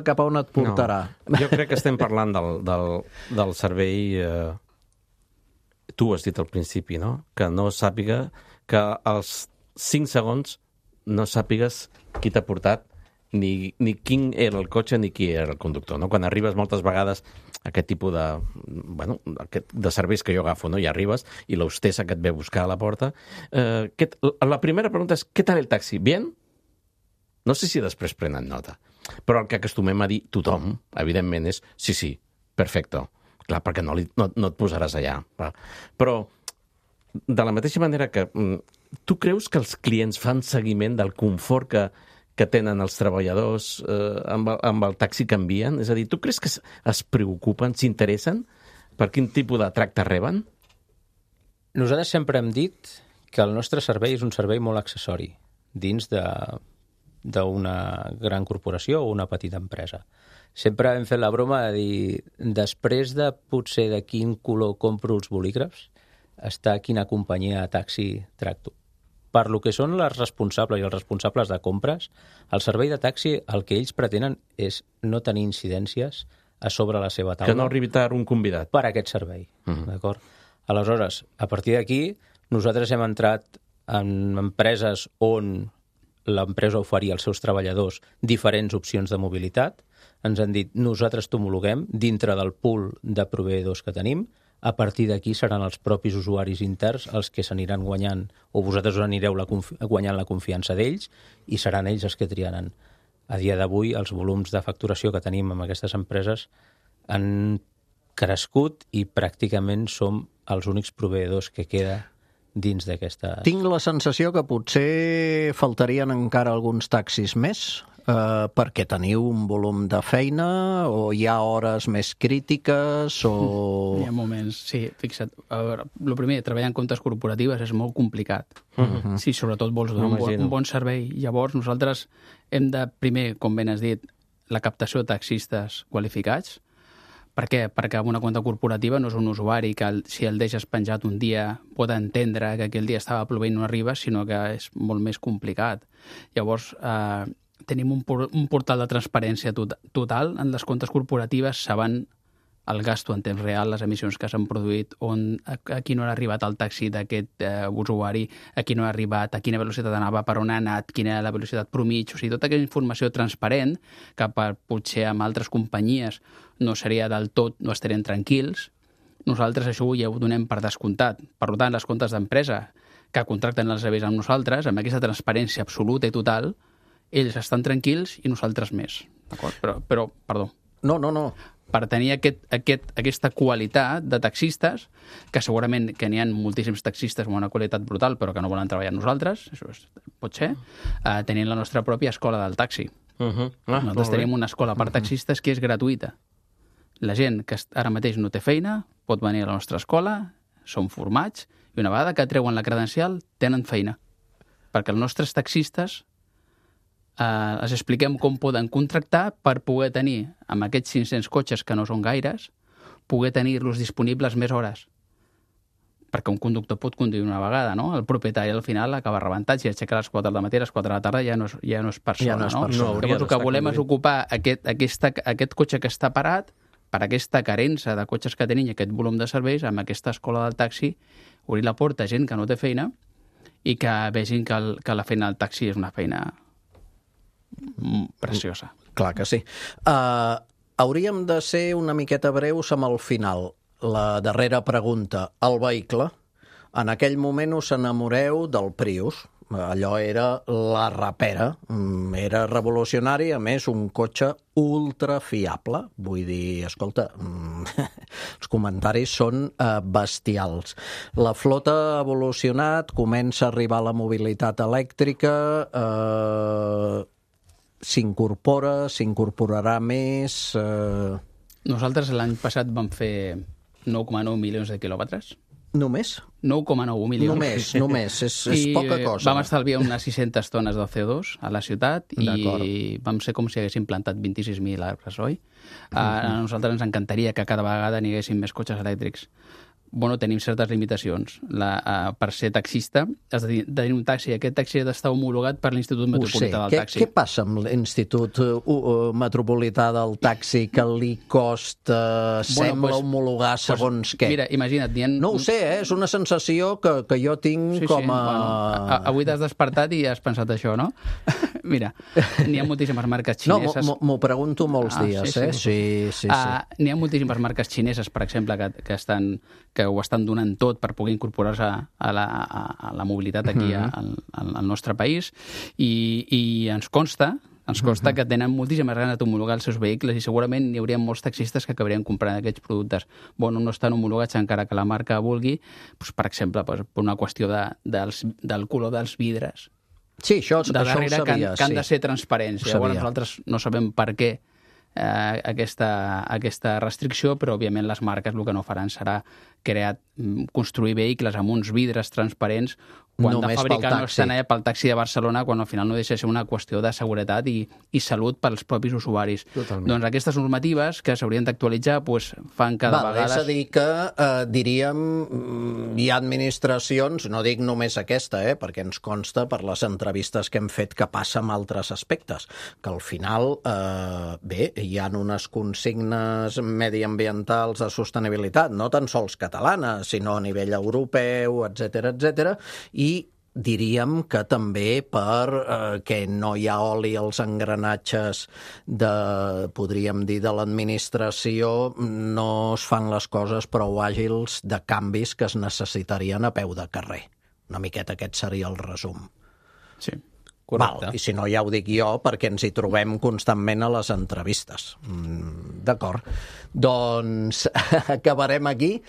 cap a on et portarà. No, jo crec que estem parlant del servei... Tu has dit al principi, no? Que no sàpiga, que als 5 segons no sàpigues qui t'ha portat, ni quin era el cotxe ni qui era el conductor, no? Quan arribes moltes vegades a aquest tipus de serveis que jo agafo, no? I arribes i l'hostessa que et ve a buscar a la porta. La primera pregunta és, ¿qué tal el taxi? ¿Bien? No sé si després prenen nota, però el que acostumem a dir tothom, evidentment, és sí, perfecto. Clar, perquè no et posaràs allà. Però, de la mateixa manera que tu creus que els clients fan seguiment del confort que tenen els treballadors amb el taxi que envien? És a dir, tu creus que es preocupen, s'interessen per quin tipus de tracte reben? Nosaltres sempre hem dit que el nostre servei és un servei molt accessori dins d'una gran corporació o una petita empresa. Sempre hem fet la broma de dir, després de potser de quin color compro els bolígrafs, està quina companyia de taxi tracto. Per lo que són les responsables i els responsables de compres, el servei de taxi el que ells pretenen és no tenir incidències a sobre la seva taula. Que no arribi tard un convidat. Per aquest servei, d'acord? Aleshores, a partir d'aquí, nosaltres hem entrat en empreses on l'empresa oferia als seus treballadors diferents opcions de mobilitat. Ens han dit, nosaltres t'homologuem dintre del pool de proveïdors que tenim. A partir d'aquí seran els propis usuaris interns els que s'aniran guanyant, o vosaltres us anireu guanyant la confiança d'ells, i seran ells els que triaran. A dia d'avui, els volums de facturació que tenim amb aquestes empreses han crescut i pràcticament som els únics proveïdors que queda dins d'aquesta... Tinc la sensació que potser faltarien encara alguns taxis més, perquè teniu un volum de feina o hi ha hores més crítiques o... Hi ha moments, sí, fixa't. A veure, el primer, treballar en comptes corporatives és molt complicat. Si sobretot vols donar un bon servei. Llavors nosaltres hem de, primer, com ben has dit, la captació de taxistes qualificats. Per què? Perquè una compta corporativa no és un usuari que si el deixes penjat un dia pot entendre que aquell dia estava plovent i no arriba, sinó que és molt més complicat. Llavors, tenim un portal de transparència total. En les comptes corporatives saben el gasto en temps real, les emissions que s'han produït, a qui no ha arribat el taxi d'aquest usuari, a qui no ha arribat, a quina velocitat anava, per on ha anat, quina era la velocitat promig, o sigui, tota aquella informació transparent que potser amb altres companyies no seria del tot, no estarem tranquils. Nosaltres això ja ho donem per descomptat. Per tant, les comptes d'empresa que contracten els serveis amb nosaltres, amb aquesta transparència absoluta i total, ells estan tranquils i nosaltres més. D'acord? Però, perdó. No. Per tenir aquesta qualitat de taxistes, que segurament que n'hi ha moltíssims taxistes amb una qualitat brutal, però que no volen treballar amb nosaltres, això pot ser, tenint la nostra pròpia escola del taxi. Nosaltres tenim una escola per taxistes que és gratuïta. La gent que ara mateix no té feina pot venir a la nostra escola, són formats, i una vegada que treuen la credencial tenen feina. Perquè els nostres taxistes els expliquem com poden contractar per poder tenir, amb aquests 500 cotxes que no són gaires, poder tenir-los disponibles més hores. Perquè un conductor pot conduir una vegada, no? El propietari al final acaba rebentat, si aixeca a les 4 del matí, a les 4 de la tarda ja no és persona, no? Llavors el que volem és ocupar aquest cotxe que està parat per aquesta carença de cotxes que tenim i aquest volum de serveis, amb aquesta escola del taxi, obrir la porta a gent que no té feina i que vegin que la feina del taxi és una feina preciosa. Clar que sí. Hauríem de ser una miqueta breus amb el final. La darrera pregunta. El vehicle. En aquell moment us enamoreu del Prius. Allò era la rapera. Era revolucionari, a més, un cotxe ultra fiable. Vull dir, escolta, els comentaris són bestials. La flota ha evolucionat, comença a arribar la mobilitat elèctrica, s'incorporarà més... Nosaltres l'any passat vam fer 9,9 milions de quilòmetres. Només? 9,9 milions. Només. És poca cosa. Vam estalviar unes 600 tones de CO2 a la ciutat i vam ser com si haguéssim plantat 26.000 arbres, oi? A nosaltres ens encantaria que cada vegada n'hi haguessin més cotxes elèctrics. Bueno, tenim certes limitacions. Per ser taxista has de tenir un taxi. Aquest taxi ha d'estar homologat per l'Institut Metropolità del Taxi. Què passa amb l'Institut Metropolità del Taxi que li costa, sembla homologar segons què? Mira, imagina't... No ho sé, és una sensació que jo tinc com a... Bueno, avui t'has despertat i has pensat això, no? Mira, n'hi ha moltíssimes marques xineses... No, m'ho pregunto molts dies, eh? Sí. N'hi ha moltíssimes marques xineses, per exemple, que ho estan donant tot per poder incorporar-se a la mobilitat aquí al nostre país i ens consta que tenen moltíssimes ganes d'homologar els seus vehicles i segurament hi hauria molts taxistes que acabarien comprant aquests productes. Bueno, no estan homologats encara que la marca vulgui, per exemple, per una qüestió del color dels vidres. Sí, això de darrere que han de ser transparents. Llavors nosaltres no sabem per què aquesta restricció, però òbviament les marques el que no faran serà construir vehicles amb uns vidres transparents quan de fàbrica no estan pel taxi de Barcelona, quan al final no deixa de ser una qüestió de seguretat i salut pels propis usuaris. Totalment. Doncs aquestes normatives que s'haurien d'actualitzar fan cada vegada... És a dir que, diríem, hi ha administracions, no dic només aquesta, perquè ens consta per les entrevistes que hem fet que passa amb altres aspectes, que al final, hi ha unes consignes mediambientals de sostenibilitat, no tan sols catalanes, sinó a nivell europeu, etc, i diríem que també per que no hi ha oli als engranatges podríem dir, de l'administració, no es fan les coses prou àgils de canvis que es necessitarien a peu de carrer. Una miqueta aquest seria el resum. Sí. Val, i si no ja ho dic jo, perquè ens hi trobem constantment a les entrevistes. D'acord. Doncs acabarem aquí.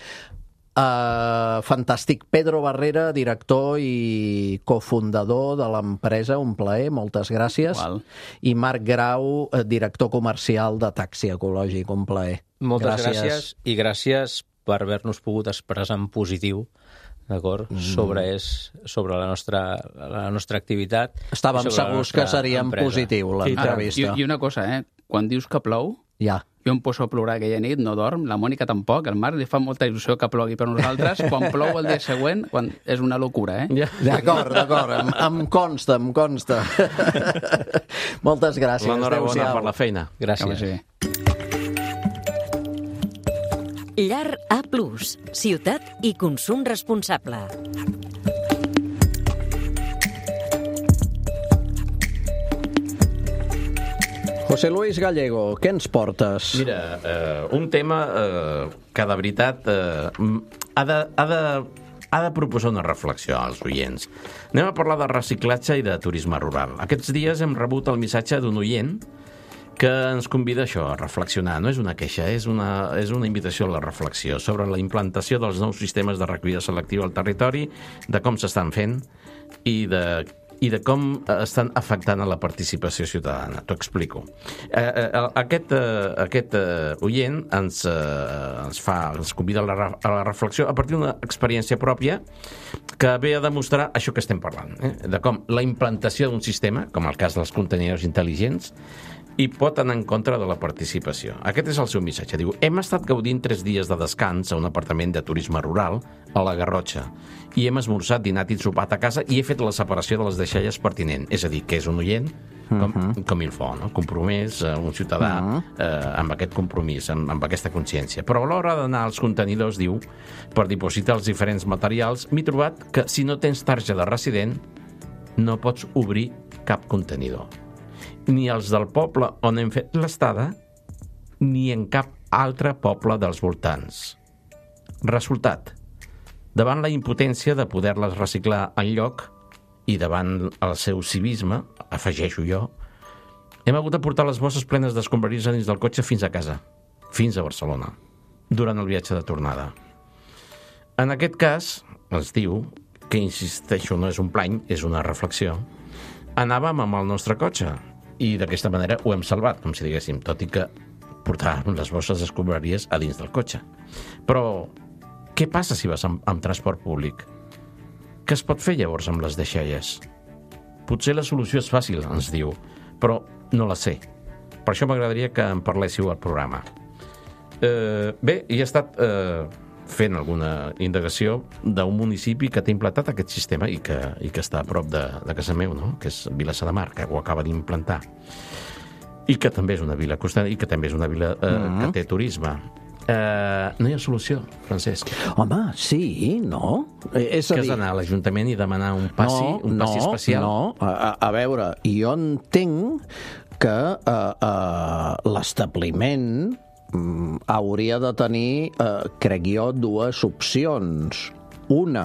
Fantàstic. Pedro Barrera, director i cofundador de l'empresa, un plaer, moltes gràcies. Igual. I Marc Grau, director comercial de Taxi Ecològic, un plaer. Moltes gràcies i gràcies per haver-nos pogut expressar en positiu, d'acord, sobre la nostra activitat. Estàvem segurs que seria en positiu l'entrevista. I una cosa, quan dius que plou, jo em poso a plorar aquella nit, no dorm, la Mònica tampoc, el Marc li fa molta il·lusió que plogui per nosaltres, quan plou el dia següent, és una locura, D'acord, em consta. Moltes gràcies. L'enhorabona per la feina. Gràcies. Llar A+, ciutat i consum responsable. José Luis Gallego, què ens portes? Mira, un tema que de veritat ha de proposar una reflexió als oients. Anem a parlar de reciclatge i de turisme rural. Aquests dies hem rebut el missatge d'un oient que ens convida a això, a reflexionar. No és una queixa, és una invitació a la reflexió sobre la implantació dels nous sistemes de recollida selectiva al territori, de com s'estan fent i de com estan afectant a la participació ciutadana. T'ho explico. Aquest oient ens convida a la reflexió a partir d'una experiència pròpia que ve a demostrar això que estem parlant, de com la implantació d'un sistema, com el cas dels contenidors intel·ligents, i pot anar en contra de la participació. Aquest és el seu missatge. Diu, hem estat gaudint 3 dies de descans a un apartament de turisme rural a la Garrotxa i hem esmorzat, dinat i sopat a casa i he fet la separació de les deixalles pertinent. És a dir, que és un oient com il faut, no? Compromès, un ciutadà amb aquest compromís, amb aquesta consciència. Però a l'hora d'anar als contenidors, diu, per dipositar els diferents materials, m'he trobat que si no tens targeta de resident no pots obrir cap contenidor. Ni els del poble on hem fet l'estada, ni en cap altre poble dels voltants. Resultat, davant la impotència de poder-les reciclar enlloc i davant el seu civisme, afegeixo jo, hem hagut de portar les bosses plenes d'escombraries dins del cotxe fins a casa, fins a Barcelona, durant el viatge de tornada. En aquest cas, es diu, que insisteixo, no és un plany, és una reflexió, anàvem amb el nostre cotxe, i d'aquesta manera ho hem salvat, com si diguéssim, tot i que portàvem les bosses d'escombraries a dins del cotxe. Però què passa si vas amb transport públic? Què es pot fer llavors amb les deixalles? Potser la solució és fàcil, ens diu, però no la sé. Per això m'agradaria que en parléssiu al programa. Bé, hi he estat fent alguna indagació d'un municipi que té implantat aquest sistema i que està a prop de casa meu, no? Que és Vilassar de Mar, que ho acaba d'implantar. I que també és una vila costera i que també és una vila que té turisme. No hi ha solució, Francesc. Home, sí, no? És a dir... Que has d'anar a l'Ajuntament i demanar un passi especial? No, a veure, jo entenc que l'establiment hauria de tenir, crec jo, 2 opcions. Una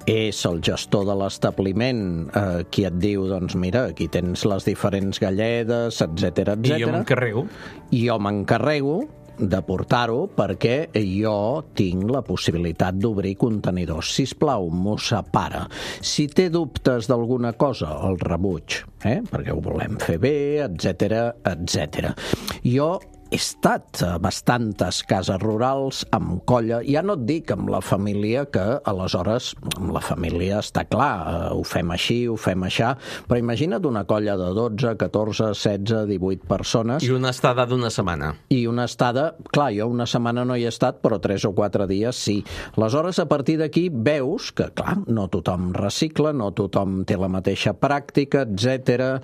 és el gestor de l'establiment qui et diu, doncs mira, aquí tens les diferents galledes, etc. I jo m'encarrego. I jo m'encarrego de portar-ho perquè jo tinc la possibilitat d'obrir contenidors. Sisplau, m'ho separa. Si té dubtes d'alguna cosa, el rebuig, perquè ho volem fer bé, etc. Jo he estat a bastantes cases rurals amb colla, ja no et dic amb la família, que aleshores amb la família està clar, ho fem així, ho fem aixà, però imagina't una colla de 12, 14, 16, 18 persones. I una estada d'una setmana. I una estada, clar, jo una setmana no hi he estat, però 3 o 4 dies sí. Aleshores, a partir d'aquí veus que, clar, no tothom recicla, no tothom té la mateixa pràctica, etc.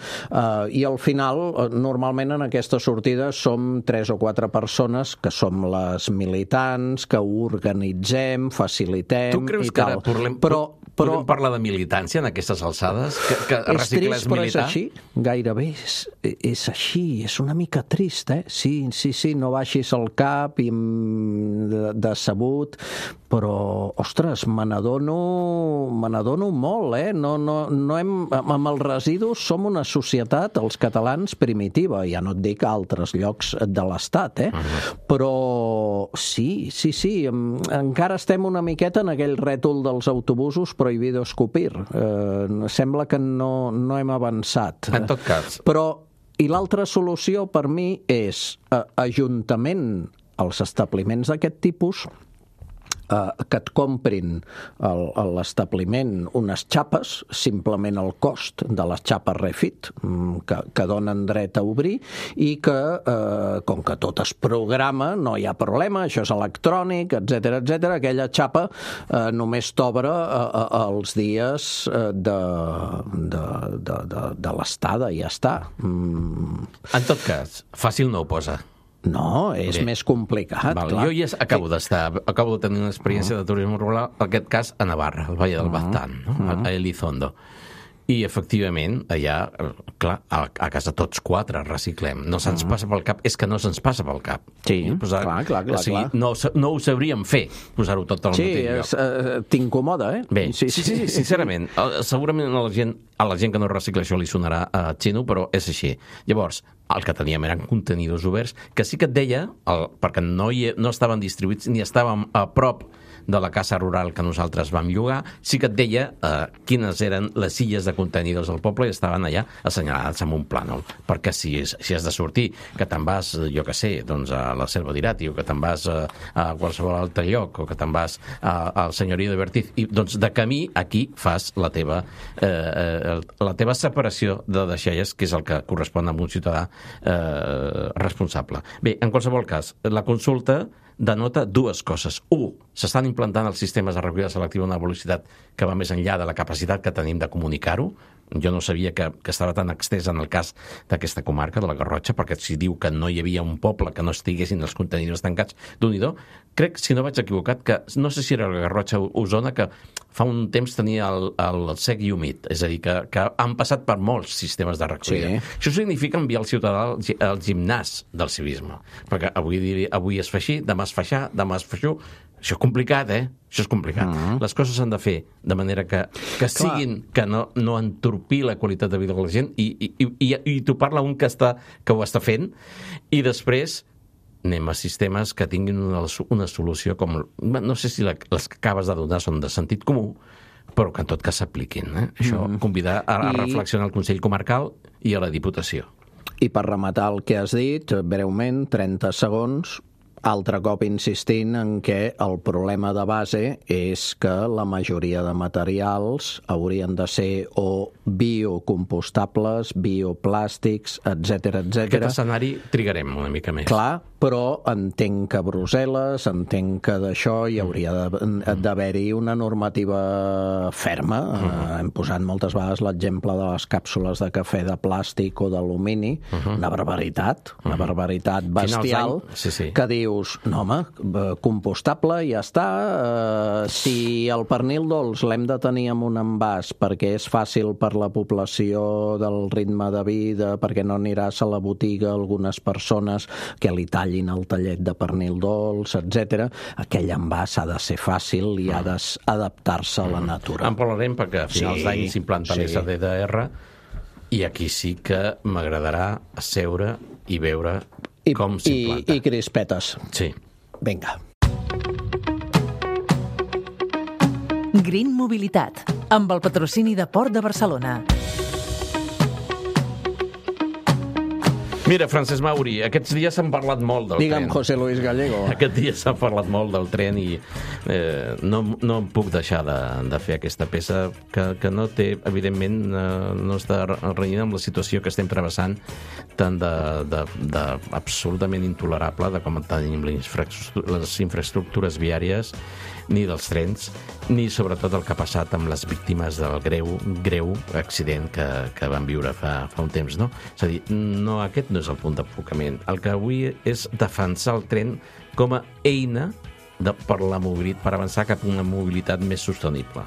I al final, normalment en aquesta sortida som 3 o 4 persones que som les militants, que ho organitzem, facilitem i tal. Tu creus que ara podem parlar de militància en aquestes alçades? Que reciclar és militar? És així, gairebé és així, és una mica trist, eh? Sí, no baixis el cap i decebut, però, ostres, me n'adono molt, eh? Amb els residus som una societat, els catalans, primitiva, ja no et dic a altres llocs de l'Estat, eh? Però sí, encara estem una miqueta en aquell rètol dels autobusos prohibido escupir. Sembla que no hem avançat. En tot cas. I l'altra solució per mi és ajuntament als establiments d'aquest tipus, que et comprin a l'establiment unes xapes, simplement el cost de les xapes Refit, que donen dret a obrir, i que, com que tot es programa, no hi ha problema, això és electrònic, etc, aquella xapa només t'obre els dies de l'estada, i ja està. En tot cas, fàcil no ho posa. No, és més complicat. Jo ja acabo de tenir una experiència de turisme rural, en aquest cas a Navarra, al Valle del Baztán, a Elizondo. I, efectivament, allà, clar, a casa tots 4 reciclem. No se'ns passa pel cap, és que no se'ns passa pel cap. Sí, clar. O sigui, no ho sabríem fer, posar-ho tot al mateix lloc. T'incomoda, eh? Bé, sí, sincerament. Segurament a la gent que no recicla això li sonarà a xino, però és així. Llavors, el que teníem eren contenidors oberts, que sí que et deia, perquè no estaven distribuïts ni estàvem a prop de la casa rural que nosaltres vam llogar, sí que et deia quines eren les illes de contenidors del poble i estaven allà assenyalades amb un plànol. Perquè si has de sortir, que te'n vas, jo què sé, doncs a la Selva d'Irati, o que te'n vas a qualsevol altre lloc, o que te'n vas al Senyorio de Bertiz, i doncs de camí aquí fas la teva separació de deixalles, que és el que correspon a un ciutadà responsable. Bé, en qualsevol cas, la consulta denota 2 coses. 1, s'estan implantant els sistemes de recollida selectiva a una velocitat que va més enllà de la capacitat que tenim de comunicar-ho. Jo no sabia que estava tan extès en el cas d'aquesta comarca, de la Garrotxa, perquè si diu que no hi havia un poble que no estiguessin els contenidors tancats, d'un-i-do. Crec, si no vaig equivocat, que no sé si era la Garrotxa o Osona, que fa un temps tenia el sec i humit, és a dir, que han passat per molts sistemes de recollida. Sí. Això significa enviar el ciutadà al gimnàs del civisme, perquè avui es fa així, demà es fa això, demà es fa això. Això és complicat, eh? Això és complicat. Les coses s'han de fer de manera que siguin, que no entorpir la qualitat de vida de la gent, i t'ho parla un que ho està fent, i després anem a sistemes que tinguin una solució com... No sé si les que acabes de donar són de sentit comú, però que en tot cas s'apliquin. Això, convidar a reflexionar al Consell Comarcal i a la Diputació. I per rematar el que has dit, breument, 30 segons... Altre cop insistint en què el problema de base és que la majoria de materials haurien de ser o biocompostables, bioplàstics, etc. Aquest escenari trigarem una mica més. Clar, però entenc que a Brussel·les, entenc que d'això hi hauria d'haver-hi una normativa ferma. Hem posat moltes vegades l'exemple de les càpsules de cafè de plàstic o d'alumini, una barbaritat bestial, que dius, no home, compostable, ja està. Si el pernil dolç l'hem de tenir en un envàs perquè és fàcil per la població del ritme de vida, perquè no aniràs a la botiga algunes persones que li tallin el tallet de pernil dolç, etc. Aquell envàs ha de ser fàcil i ha d'adaptar-se a la natura. En parlarem perquè a finals d'any s'implanta l'SDR i aquí sí que m'agradarà seure i veure com s'implanta. I crispetes. Sí. Vinga. Green Mobilitat, amb el patrocini de Port de Barcelona. Mira, Francesc Mauri, aquests dies s'han parlat molt del tren. Digue'm, José Luis Gallego. Aquests dies s'ha parlat molt del tren i no em puc deixar de fer aquesta peça que no té, evidentment, no està renyida amb la situació que estem travessant tant absolutament intolerable de com tenim les infraestructures viàries, ni dels trens, ni sobretot el que ha passat amb les víctimes del greu accident que van viure fa un temps, no? És a dir, no, aquest no és el punt d'enfocament. El que avui és defensar el tren com a eina per avançar cap a una mobilitat més sostenible.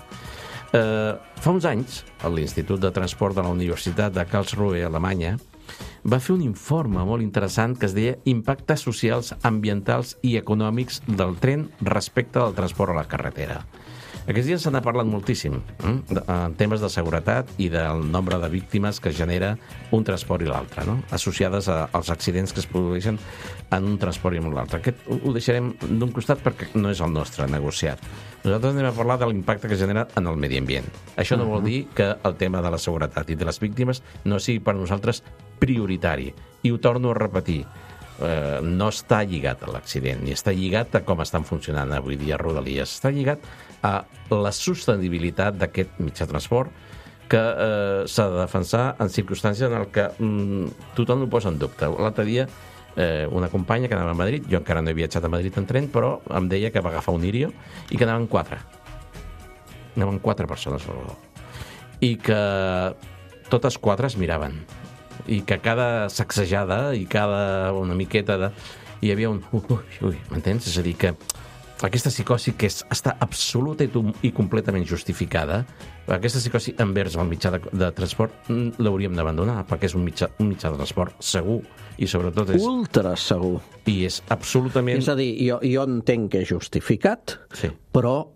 Fa uns anys, l'Institut de Transport de la Universitat de Karlsruhe, Alemanya, va fer un informe molt interessant que es deia Impactes socials, ambientals i econòmics del tren respecte del transport a la carretera. Aquests dies se n'ha parlat moltíssim en temes de seguretat i del nombre de víctimes que genera un transport i l'altre, no? Associades als accidents que es produeixen en un transport i en l'altre. Aquest ho deixarem d'un costat perquè no és el nostre negociat. Nosaltres anem a parlar de l'impacte que genera en el medi ambient. Això no vol dir que el tema de la seguretat i de les víctimes no sigui per nosaltres prioritari. I ho torno a repetir. No està lligat a l'accident, ni està lligat a com estan funcionant avui dia Rodalies. Està lligat a la sostenibilitat d'aquest mitjà de transport que s'ha de defensar en circumstàncies en què tothom ho posa en dubte. L'altre dia, una companya que anava a Madrid, jo encara no he viatjat a Madrid en tren, però em deia que va agafar un Irio i que anaven 4. Anaven 4 persones al voló. I que totes 4 es miraven. I que cada sacsejada i cada una miqueta hi havia un ui, m'entens? És a dir, que aquesta psicosi que està absoluta i completament justificada, aquesta psicosi envers el mitjà de transport l'hauríem d'abandonar, perquè és un mitjà de transport segur i sobretot és... Ultra segur. I és absolutament... És a dir, jo entenc que és justificat, sí, però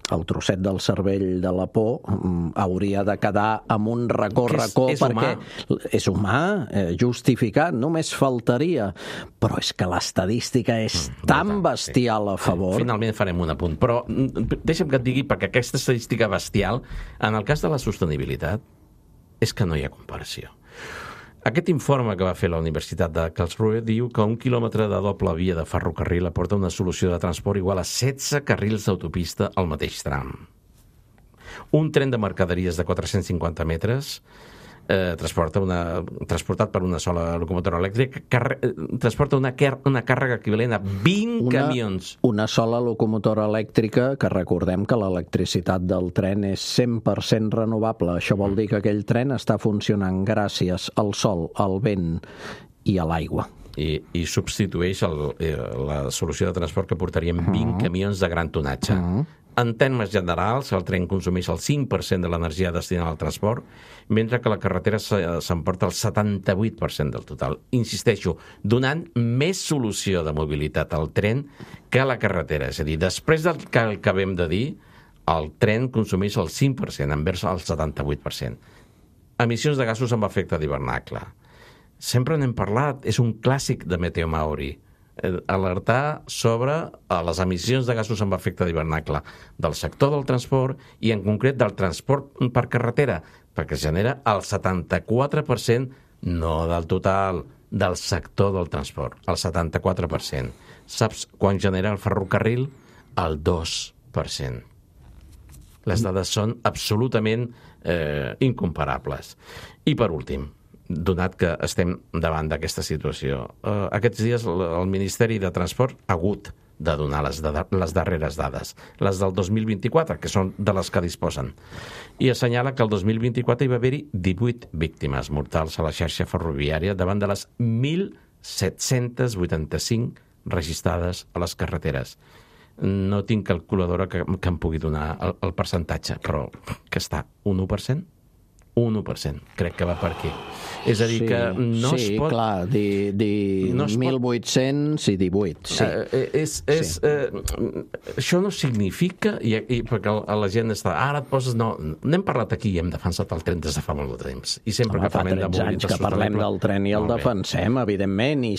el trosset del cervell de la por hauria de quedar amb un racó perquè és humà, justificat, només faltaria, però és que l'estadística és tan bestial a favor. Finalment farem un apunt, però deixa'm que et digui, perquè aquesta estadística bestial, en el cas de la sostenibilitat, és que no hi ha comparació. Aquest informe que va fer la Universitat de Karlsruhe diu que 1 quilòmetre de doble via de ferrocarril aporta una solució de transport igual a 16 carrils d'autopista al mateix tram. Un tren de mercaderies de 450 metres transportat per una sola locomotora elèctrica transporta una càrrega equivalent a 20 camions. Una sola locomotora elèctrica, que recordem que l'electricitat del tren és 100% renovable. Això vol dir que aquell tren està funcionant gràcies al sol, al vent i a l'aigua. I substitueix la solució de transport que portarien 20 camions de gran tonatge. En termes generals, el tren consumeix el 5% de l'energia destinada al transport, mentre que la carretera s'emporta el 78% del total. Insisteixo, donant més solució de mobilitat al tren que a la carretera. És a dir, després del que acabem de dir, el tren consumeix el 5% envers el 78%. Emissions de gasos amb efecte d'hivernacle. Sempre n'hem parlat, és un clàssic de Meteo Mauri. Alertar sobre les emissions de gasos amb efecte d'hivernacle del sector del transport i en concret del transport per carretera, perquè es genera el 74%, no del total, del sector del transport, el 74%. Saps quan genera el ferrocarril? El 2%. Les dades són absolutament incomparables. I per últim, donat que estem davant d'aquesta situació, aquests dies el Ministeri de Transport ha hagut de donar les darreres dades, les del 2024, que són de les que disposen, i assenyala que el 2024 hi va haver-hi 18 víctimes mortals a la xarxa ferroviària davant de les 1.785 registrades a les carreteres. No tinc calculadora que em pugui donar el percentatge, però que està un 1%? Un 1%, crec que va per aquí. És a dir, que no es pot... Sí, clar, dir no 1.800 i 18, sí. Això no significa, perquè la gent està... Ara et poses... No, n'hem parlat aquí i hem defensat el tren des de fa molt de temps. I sempre que parlem de mobilitat sostenible... Fa 13 anys que parlem del tren i el defensem, evidentment, i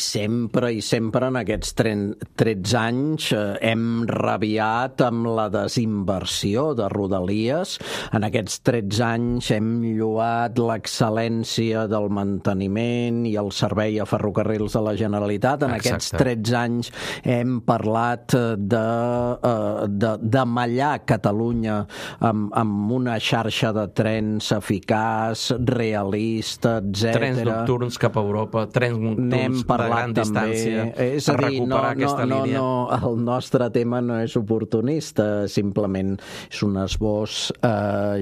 sempre en aquests 13 anys hem rabiat amb la desinversió de Rodalies. En aquests 13 anys hem lloat l'excel·lència del manteniment i el servei a ferrocarrils de la Generalitat. En aquests 13 anys hem parlat de mallar Catalunya amb una xarxa de trens eficaç, realista, etc. Trens nocturns cap a Europa, trens nocturns de gran distància, a recuperar aquesta línia. El nostre tema no és oportunista, simplement és un esbós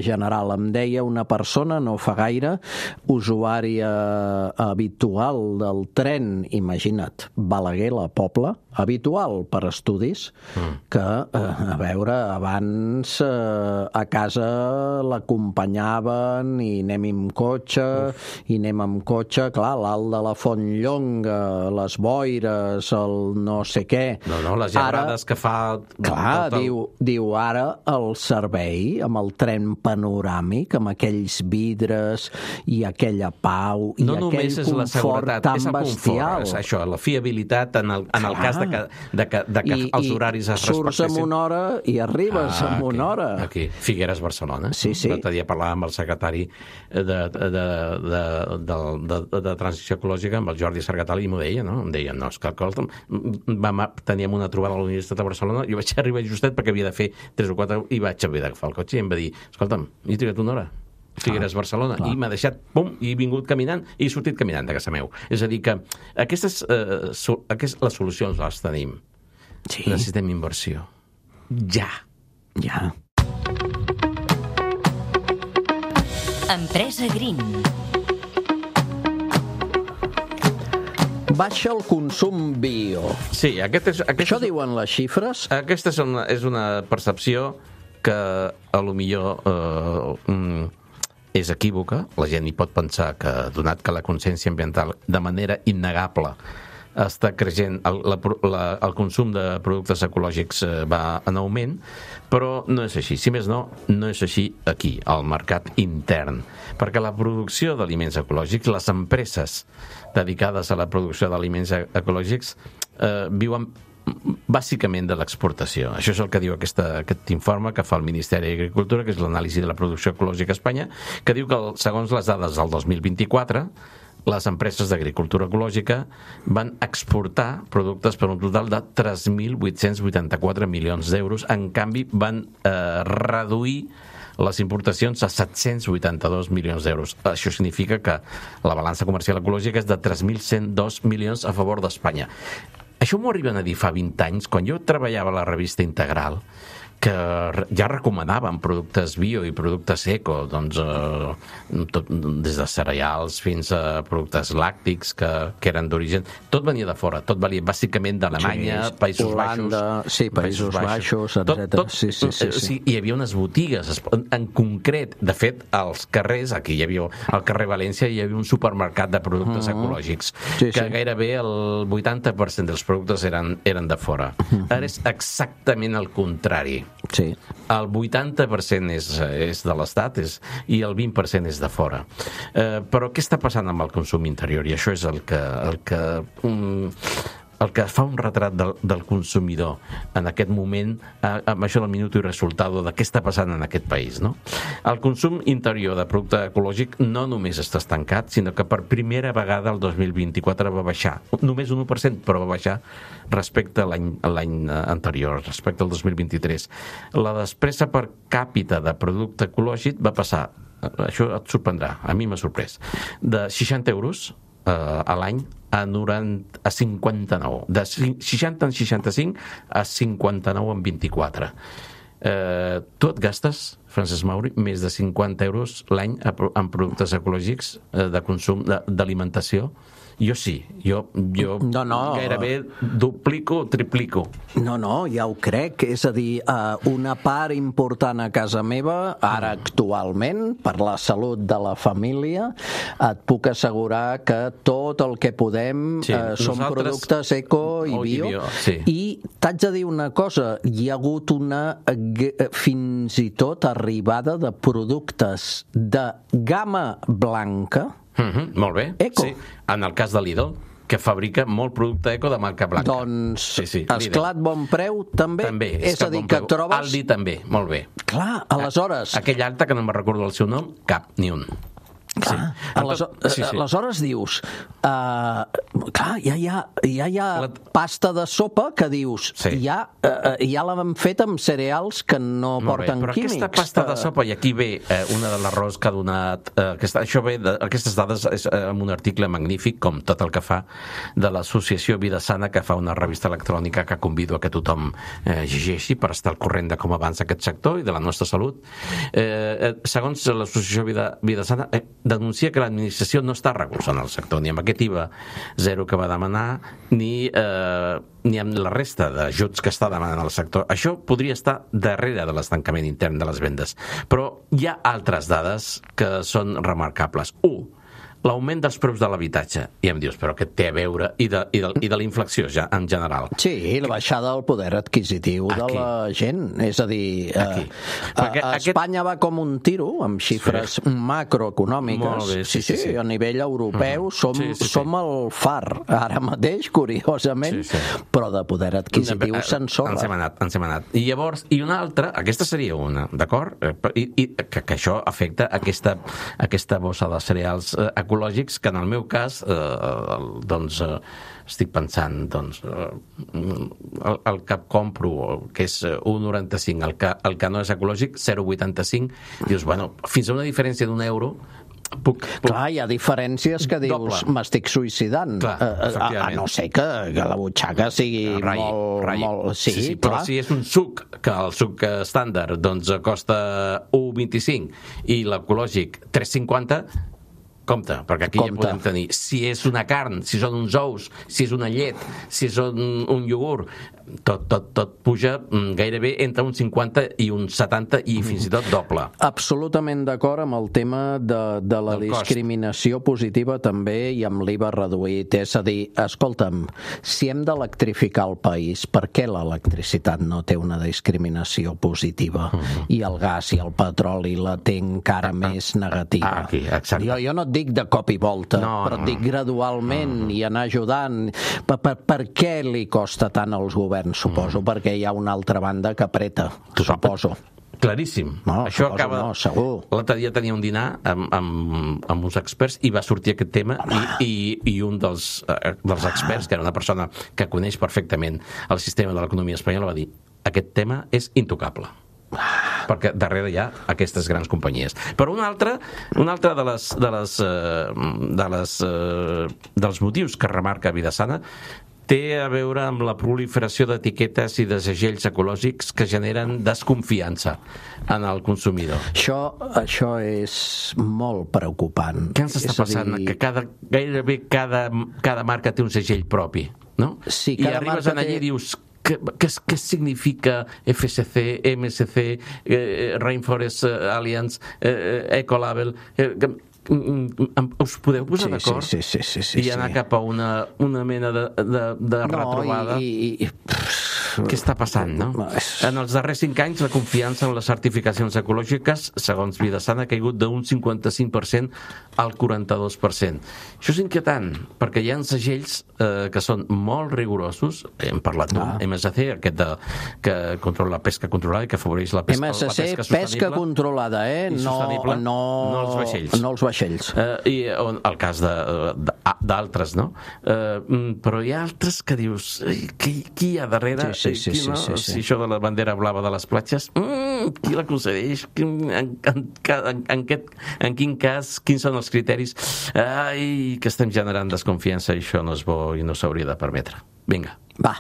general. Em deia una persona, no fa gaire, usuària habitual del tren, imagina't, Balaguer, la Pobla, habitual per estudis, que, a veure, abans a casa l'acompanyaven i anem amb cotxe, clar, l'alt de la Fontlllonga, les boires, el no sé què. No, les llargades que fa... Clar, diu ara el servei amb el tren panoràmic, amb aquells vidres i aquella pau i aquell confort tan bestial. És això, la fiabilitat en el cas de que els horaris es respectessin. Surts en una hora i arribes en una hora. Aquí, Figueres, Barcelona. Sí. L'altre dia parlàvem amb el secretari de Transició Ecològica, amb el Jordi Sargatali, i m'ho deia, no? Em deia, no, és que teníem una trobada a la Universitat de Barcelona, jo vaig arribar justet perquè havia de fer 3 o 4 i vaig haver d'agafar el cotxe i em va dir, escolta'm, he trigat una hora. Figueres, Barcelona, i m'ha deixat, pum, i he vingut caminant, i he sortit caminant de casa meu. És a dir que les solucions les tenim. Sí. Necessitem inversió. Ja. Empresa Green. Baixa el consum bio. Sí, això diuen les xifres. Aquesta és una percepció que a lo millor és equívoca. La gent hi pot pensar que, donat que la consciència ambiental de manera innegable està creixent, el consum de productes ecològics va en augment, però no és així. Si més no, no és així aquí, al mercat intern. Perquè la producció d'aliments ecològics, les empreses dedicades a la producció d'aliments ecològics viuen bàsicament de l'exportació. Això és el que diu aquest informe que fa el Ministeri d'Agricultura, que és l'anàlisi de la producció ecològica a Espanya, que diu que segons les dades del 2024 les empreses d'agricultura ecològica van exportar productes per un total de 3.884 milions d'euros. En canvi, van reduir les importacions a 782 milions d'euros. Això significa que la balança comercial ecològica és de 3.102 milions a favor d'Espanya. Això m'ho arriben a dir fa 20 anys, quan jo treballava a la revista Integral, que ja recomanaven productes bio i productes eco, doncs, des de cereals fins a productes làctics que eren d'origen. Tot venia de fora, tot venia bàsicament d'Alemanya, Països Holanda, Baixos... Sí, Països Baixos, etc. Sí. Hi havia unes botigues, en concret, de fet, als carrers, aquí hi havia, al carrer València, hi havia un supermercat de productes ecològics, que gairebé el 80% dels productes eren de fora. Ara és exactament el contrari. Sí. El 80% és de l'Estat i el 20% és de fora. Però què està passant amb el consum interior? I això és el que fa un retrat del consumidor en aquest moment, amb això del minut i resultado de què està passant en aquest país, no? El consum interior de producte ecològic no només està estancat, sinó que per primera vegada el 2024 va baixar, només un 1%, però va baixar respecte a l'any anterior, respecte al 2023. La despesa per càpita de producte ecològic va passar, això et sorprendrà, a mi m'ha sorprès, de 60 euros a l'any a 59, de 60 en 65 a 59 en 24. Tu et gastes, Francesc Mauri, més de 50 euros l'any en productes ecològics de consum d'alimentació. Jo sí, jo gairebé duplico, triplico. No, ja ho crec. És a dir, una part important a casa meva, ara actualment, per la salut de la família, et puc assegurar que tot el que podem són productes eco i bio. I t'haig de dir una cosa, hi ha hagut una fins i tot arribada de productes de gamma blanca, molt bé, eco. sí. En el cas de Lidl, que fabrica molt producte eco de marca blanca. Doncs Esclat Bon Preu també? També. És a dir, que trobes... Aldi també, molt bé. Clar, aleshores... Aquell acte que no me'n recordo el seu nom, cap, ni un. Clar, aleshores dius clar, ja hi ha pasta de sopa que dius ja l'han fet amb cereals que no porten químics. Però aquesta pasta de sopa, i aquí ve una de l'errors que ha donat aquestes dades és en un article magnífic, com tot el que fa de l'associació Vida Sana, que fa una revista electrònica que convido a que tothom llegeixi per estar al corrent de com avança aquest sector i de la nostra salut. Segons l'associació Vida Sana, denuncia que l'administració no està recolzant el sector, ni amb aquest IVA zero que va demanar, ni amb la resta d'ajuts que està demanant el sector. Això podria estar darrere de l'estancament intern de les vendes. Però hi ha altres dades que són remarcables. 1. L'augment dels preus de l'habitatge. I em dius, però què té a veure? I de la inflació, ja, en general. Sí, la baixada del poder adquisitiu de la gent. És a dir, Espanya va com un tiro, amb xifres macroeconòmiques. Sí, a nivell europeu som el far, ara mateix, curiosament, però de poder adquisitiu se'n sobra. Ens hem anat. I llavors, i una altra, aquesta seria una, d'acord? I que això afecta aquesta bossa de cereals ecològics, que en el meu cas estic pensant el que compro, que és 1,95, el que no és ecològic 0,85, dius, bueno, fins a una diferència d'€1 Clar, hi ha diferències que dius m'estic suïcidant, a no ser que la butxaca sigui molt... Sí, però si és un suc, que el suc estàndard costa 1,25 i l'ecològic 3,50, compte, perquè aquí ja podem tenir, si és una carn, si són uns ous, si és una llet, si és un iogurt, tot puja gairebé entre un 50 i un 70 i fins i tot doble. Absolutament d'acord amb el tema de la discriminació positiva també i amb l'IVA reduït. És a dir, escolta'm, si hem d'electrificar el país, per què l'electricitat no té una discriminació positiva i el gas i el petroli la té encara més negativa? Jo no et dic de cop i volta, però et dic gradualment i anar ajudant. Per què li costa tant als governs? Suposo perquè hi ha una altra banda que apreta, suposo. Claríssim. Això acaba... segur. L'altre dia tenia un dinar amb uns experts i va sortir aquest tema i un dels experts, que era una persona que coneix perfectament el sistema de l'economia espanyola, va dir: aquest tema és intocable. Perquè darrere hi ha aquestes grans companyies. Però un altre dels motius que remarca Vida Sana té a veure amb la proliferació d'etiquetes i de segells ecològics que generen desconfiança en el consumidor. Això és molt preocupant. Què ens està passant? Que gairebé cada marca té un segell propi, no? Sí, i arribes allà i dius... Què significa FSC, MSC, Rainforest Alliance, Ecolabel? Us podeu posar d'acord? Sí. I anar cap a una mena de retrobada? Què està passant, no? En els darrers 5 anys, la confiança en les certificacions ecològiques, segons Vida Sana, ha caigut d'un 55% al 42%. Això és inquietant, perquè hi ha segells que són molt rigorosos. Hem parlat d'un MSC, aquest que controla la pesca controlada i que afavoreix la pesca sostenible. Pesca controlada, no els vaixells. No els vaixells. I el cas d'altres, no? Però hi ha altres que dius, qui hi ha darrere? Sí. Si això de la bandera blava de les platges, qui la concedeix? En quin cas? Quins són els criteris? Ai, que estem generant desconfiança i això no és bo i no s'hauria de permetre. Vinga. Va.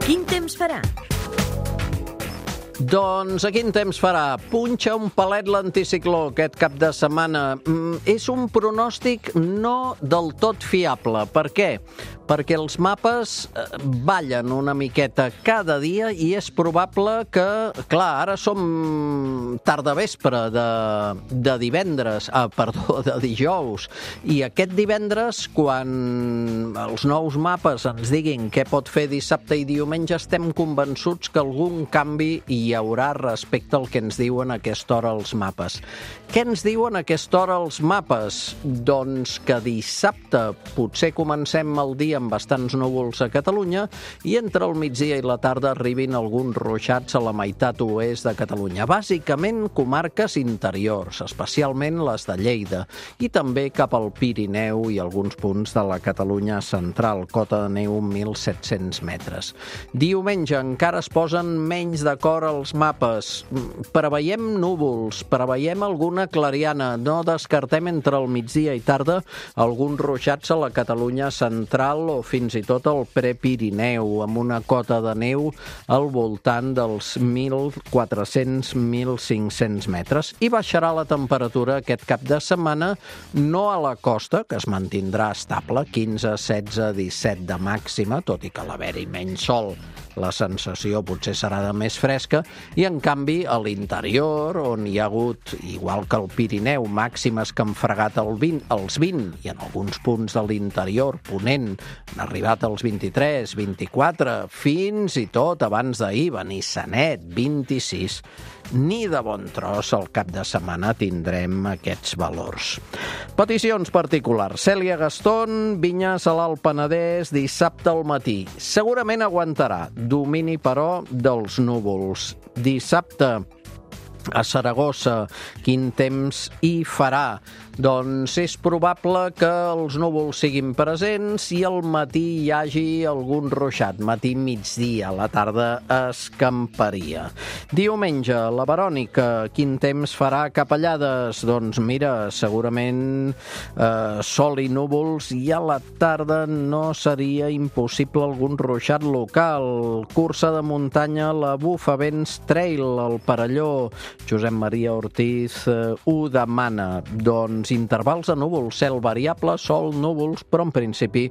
Quin temps farà? Doncs a quin temps farà? Punxa un palet l'anticicló aquest cap de setmana. És un pronòstic no del tot fiable. Per què? perquè els mapes ballen una miqueta cada dia i és probable que, clar, ara som tardavespre de divendres, de dijous, i aquest divendres, quan els nous mapes ens diguin què pot fer dissabte i diumenge, estem convençuts que algun canvi hi haurà respecte al que ens diuen a aquesta hora els mapes. Què ens diuen a aquesta hora els mapes? Doncs que dissabte potser comencem el dia amb bastants núvols a Catalunya i entre el migdia i la tarda arribin alguns ruixats a la meitat oest de Catalunya. Bàsicament comarques interiors, especialment les de Lleida, i també cap al Pirineu i alguns punts de la Catalunya central, cota de neu 1.700 metres. Diumenge encara es posen menys d'acord els mapes. Preveiem núvols, preveiem alguna clariana, no descartem entre el migdia i tarda alguns ruixats a la Catalunya central o fins i tot al Prepirineu, amb una cota de neu al voltant dels 1.400-1.500 metres. I baixarà la temperatura aquest cap de setmana, no a la costa, que es mantindrà estable, 15, 16, 17 de màxima, tot i que a l'haver-hi menys sol la sensació potser serà de més fresca, i en canvi a l'interior, on hi ha hagut, igual que al Pirineu, màximes que han fregat els 20, i en alguns punts de l'interior, Ponent, han arribat als 23, 24, fins i tot abans d'ahir, Benissanet, 26. Ni de bon tros al cap de setmana tindrem aquests valors. Peticions particulars. Cèlia Gastón, Vinyes a l'Alt Penedès, dissabte al matí. Segurament aguantarà. Domini, però, dels núvols. Dissabte a Saragossa, quin temps hi farà? Doncs és probable que els núvols siguin presents i al matí hi hagi algun ruixat, matí-migdia, a la tarda escamparia. Diumenge, la Verònica, quin temps farà cap a Llades? Doncs mira, segurament sol i núvols, i a la tarda no seria impossible algun ruixat local. Cursa de muntanya, la Bufavents Trail, al Perelló. Josep Maria Ortiz ho demana. Doncs intervals de núvols, cel variable, sol, núvols, però en principi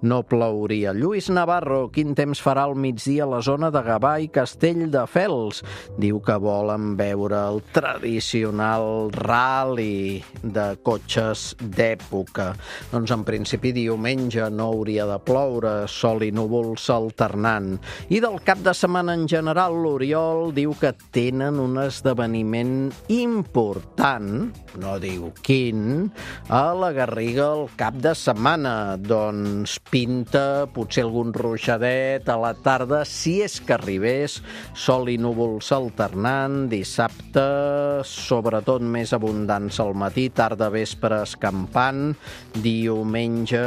no plouria. Lluís Navarro, quin temps farà al migdia a la zona de Gavà i Castelldefels? Diu que volen veure el tradicional rally de cotxes d'època. Doncs en principi diumenge no hauria de ploure, sol i núvols alternant. I del cap de setmana en general, l'Oriol diu que tenen un esdeveniment important, no diu quin, a la Garriga el cap de setmana. Doncs pinta potser algun ruixadet a la tarda, si és que arribés, sol i núvols alternant, dissabte sobretot més abundants al matí, tarda vespre escampant, diumenge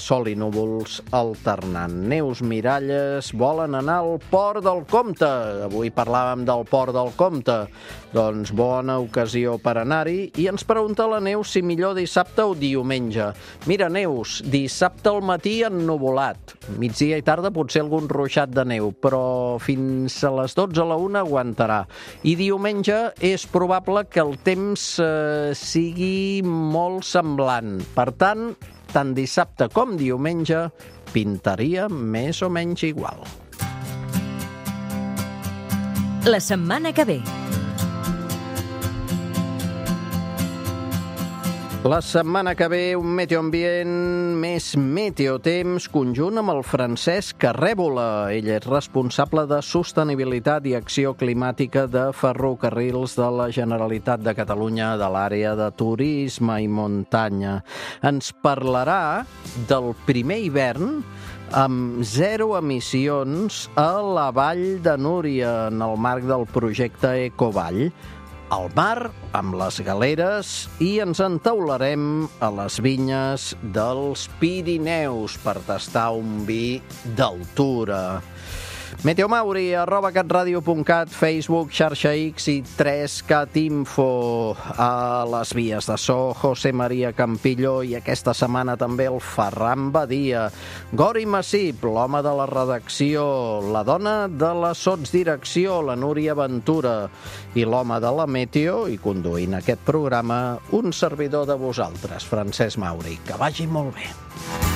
sol i núvols alternant. Neus Miralles volen anar al Port del Comte. Avui parlàvem del Port del Comte. Doncs bona ocasió per anar-hi, i ens pregunta la Neus si millor dissabte o diumenge. Mira, Neus, dissabte al matí ennuvolat, migdia i tarda potser algun ruixat de neu, però fins a les 12 a la 1 aguantarà. I diumenge és probable que el temps sigui molt semblant. Per tant dissabte com diumenge pintaria més o menys igual. La setmana que ve. La setmana que ve un meteoambient més meteotemps conjunt amb el Francesc Arrèbola. Ell és responsable de sostenibilitat i acció climàtica de Ferrocarrils de la Generalitat de Catalunya, de l'àrea de turisme i muntanya. Ens parlarà del primer hivern amb 0 emissions a la Vall de Núria en el marc del projecte Ecovall. Al mar, amb les galeres, i ens entaularem a les vinyes dels Pirineus per tastar un vi d'altura. Meteomauri@catradio.cat, Facebook, xarxa X i 3Cat Info. A les vies de so, José María Campillo, i aquesta setmana també el Ferran Badia. Gori Massip, l'home de la redacció, la dona de la sotsdirecció, la Núria Ventura, i l'home de la meteo, i conduint aquest programa, un servidor de vosaltres, Francesc Mauri. Que vagi molt bé.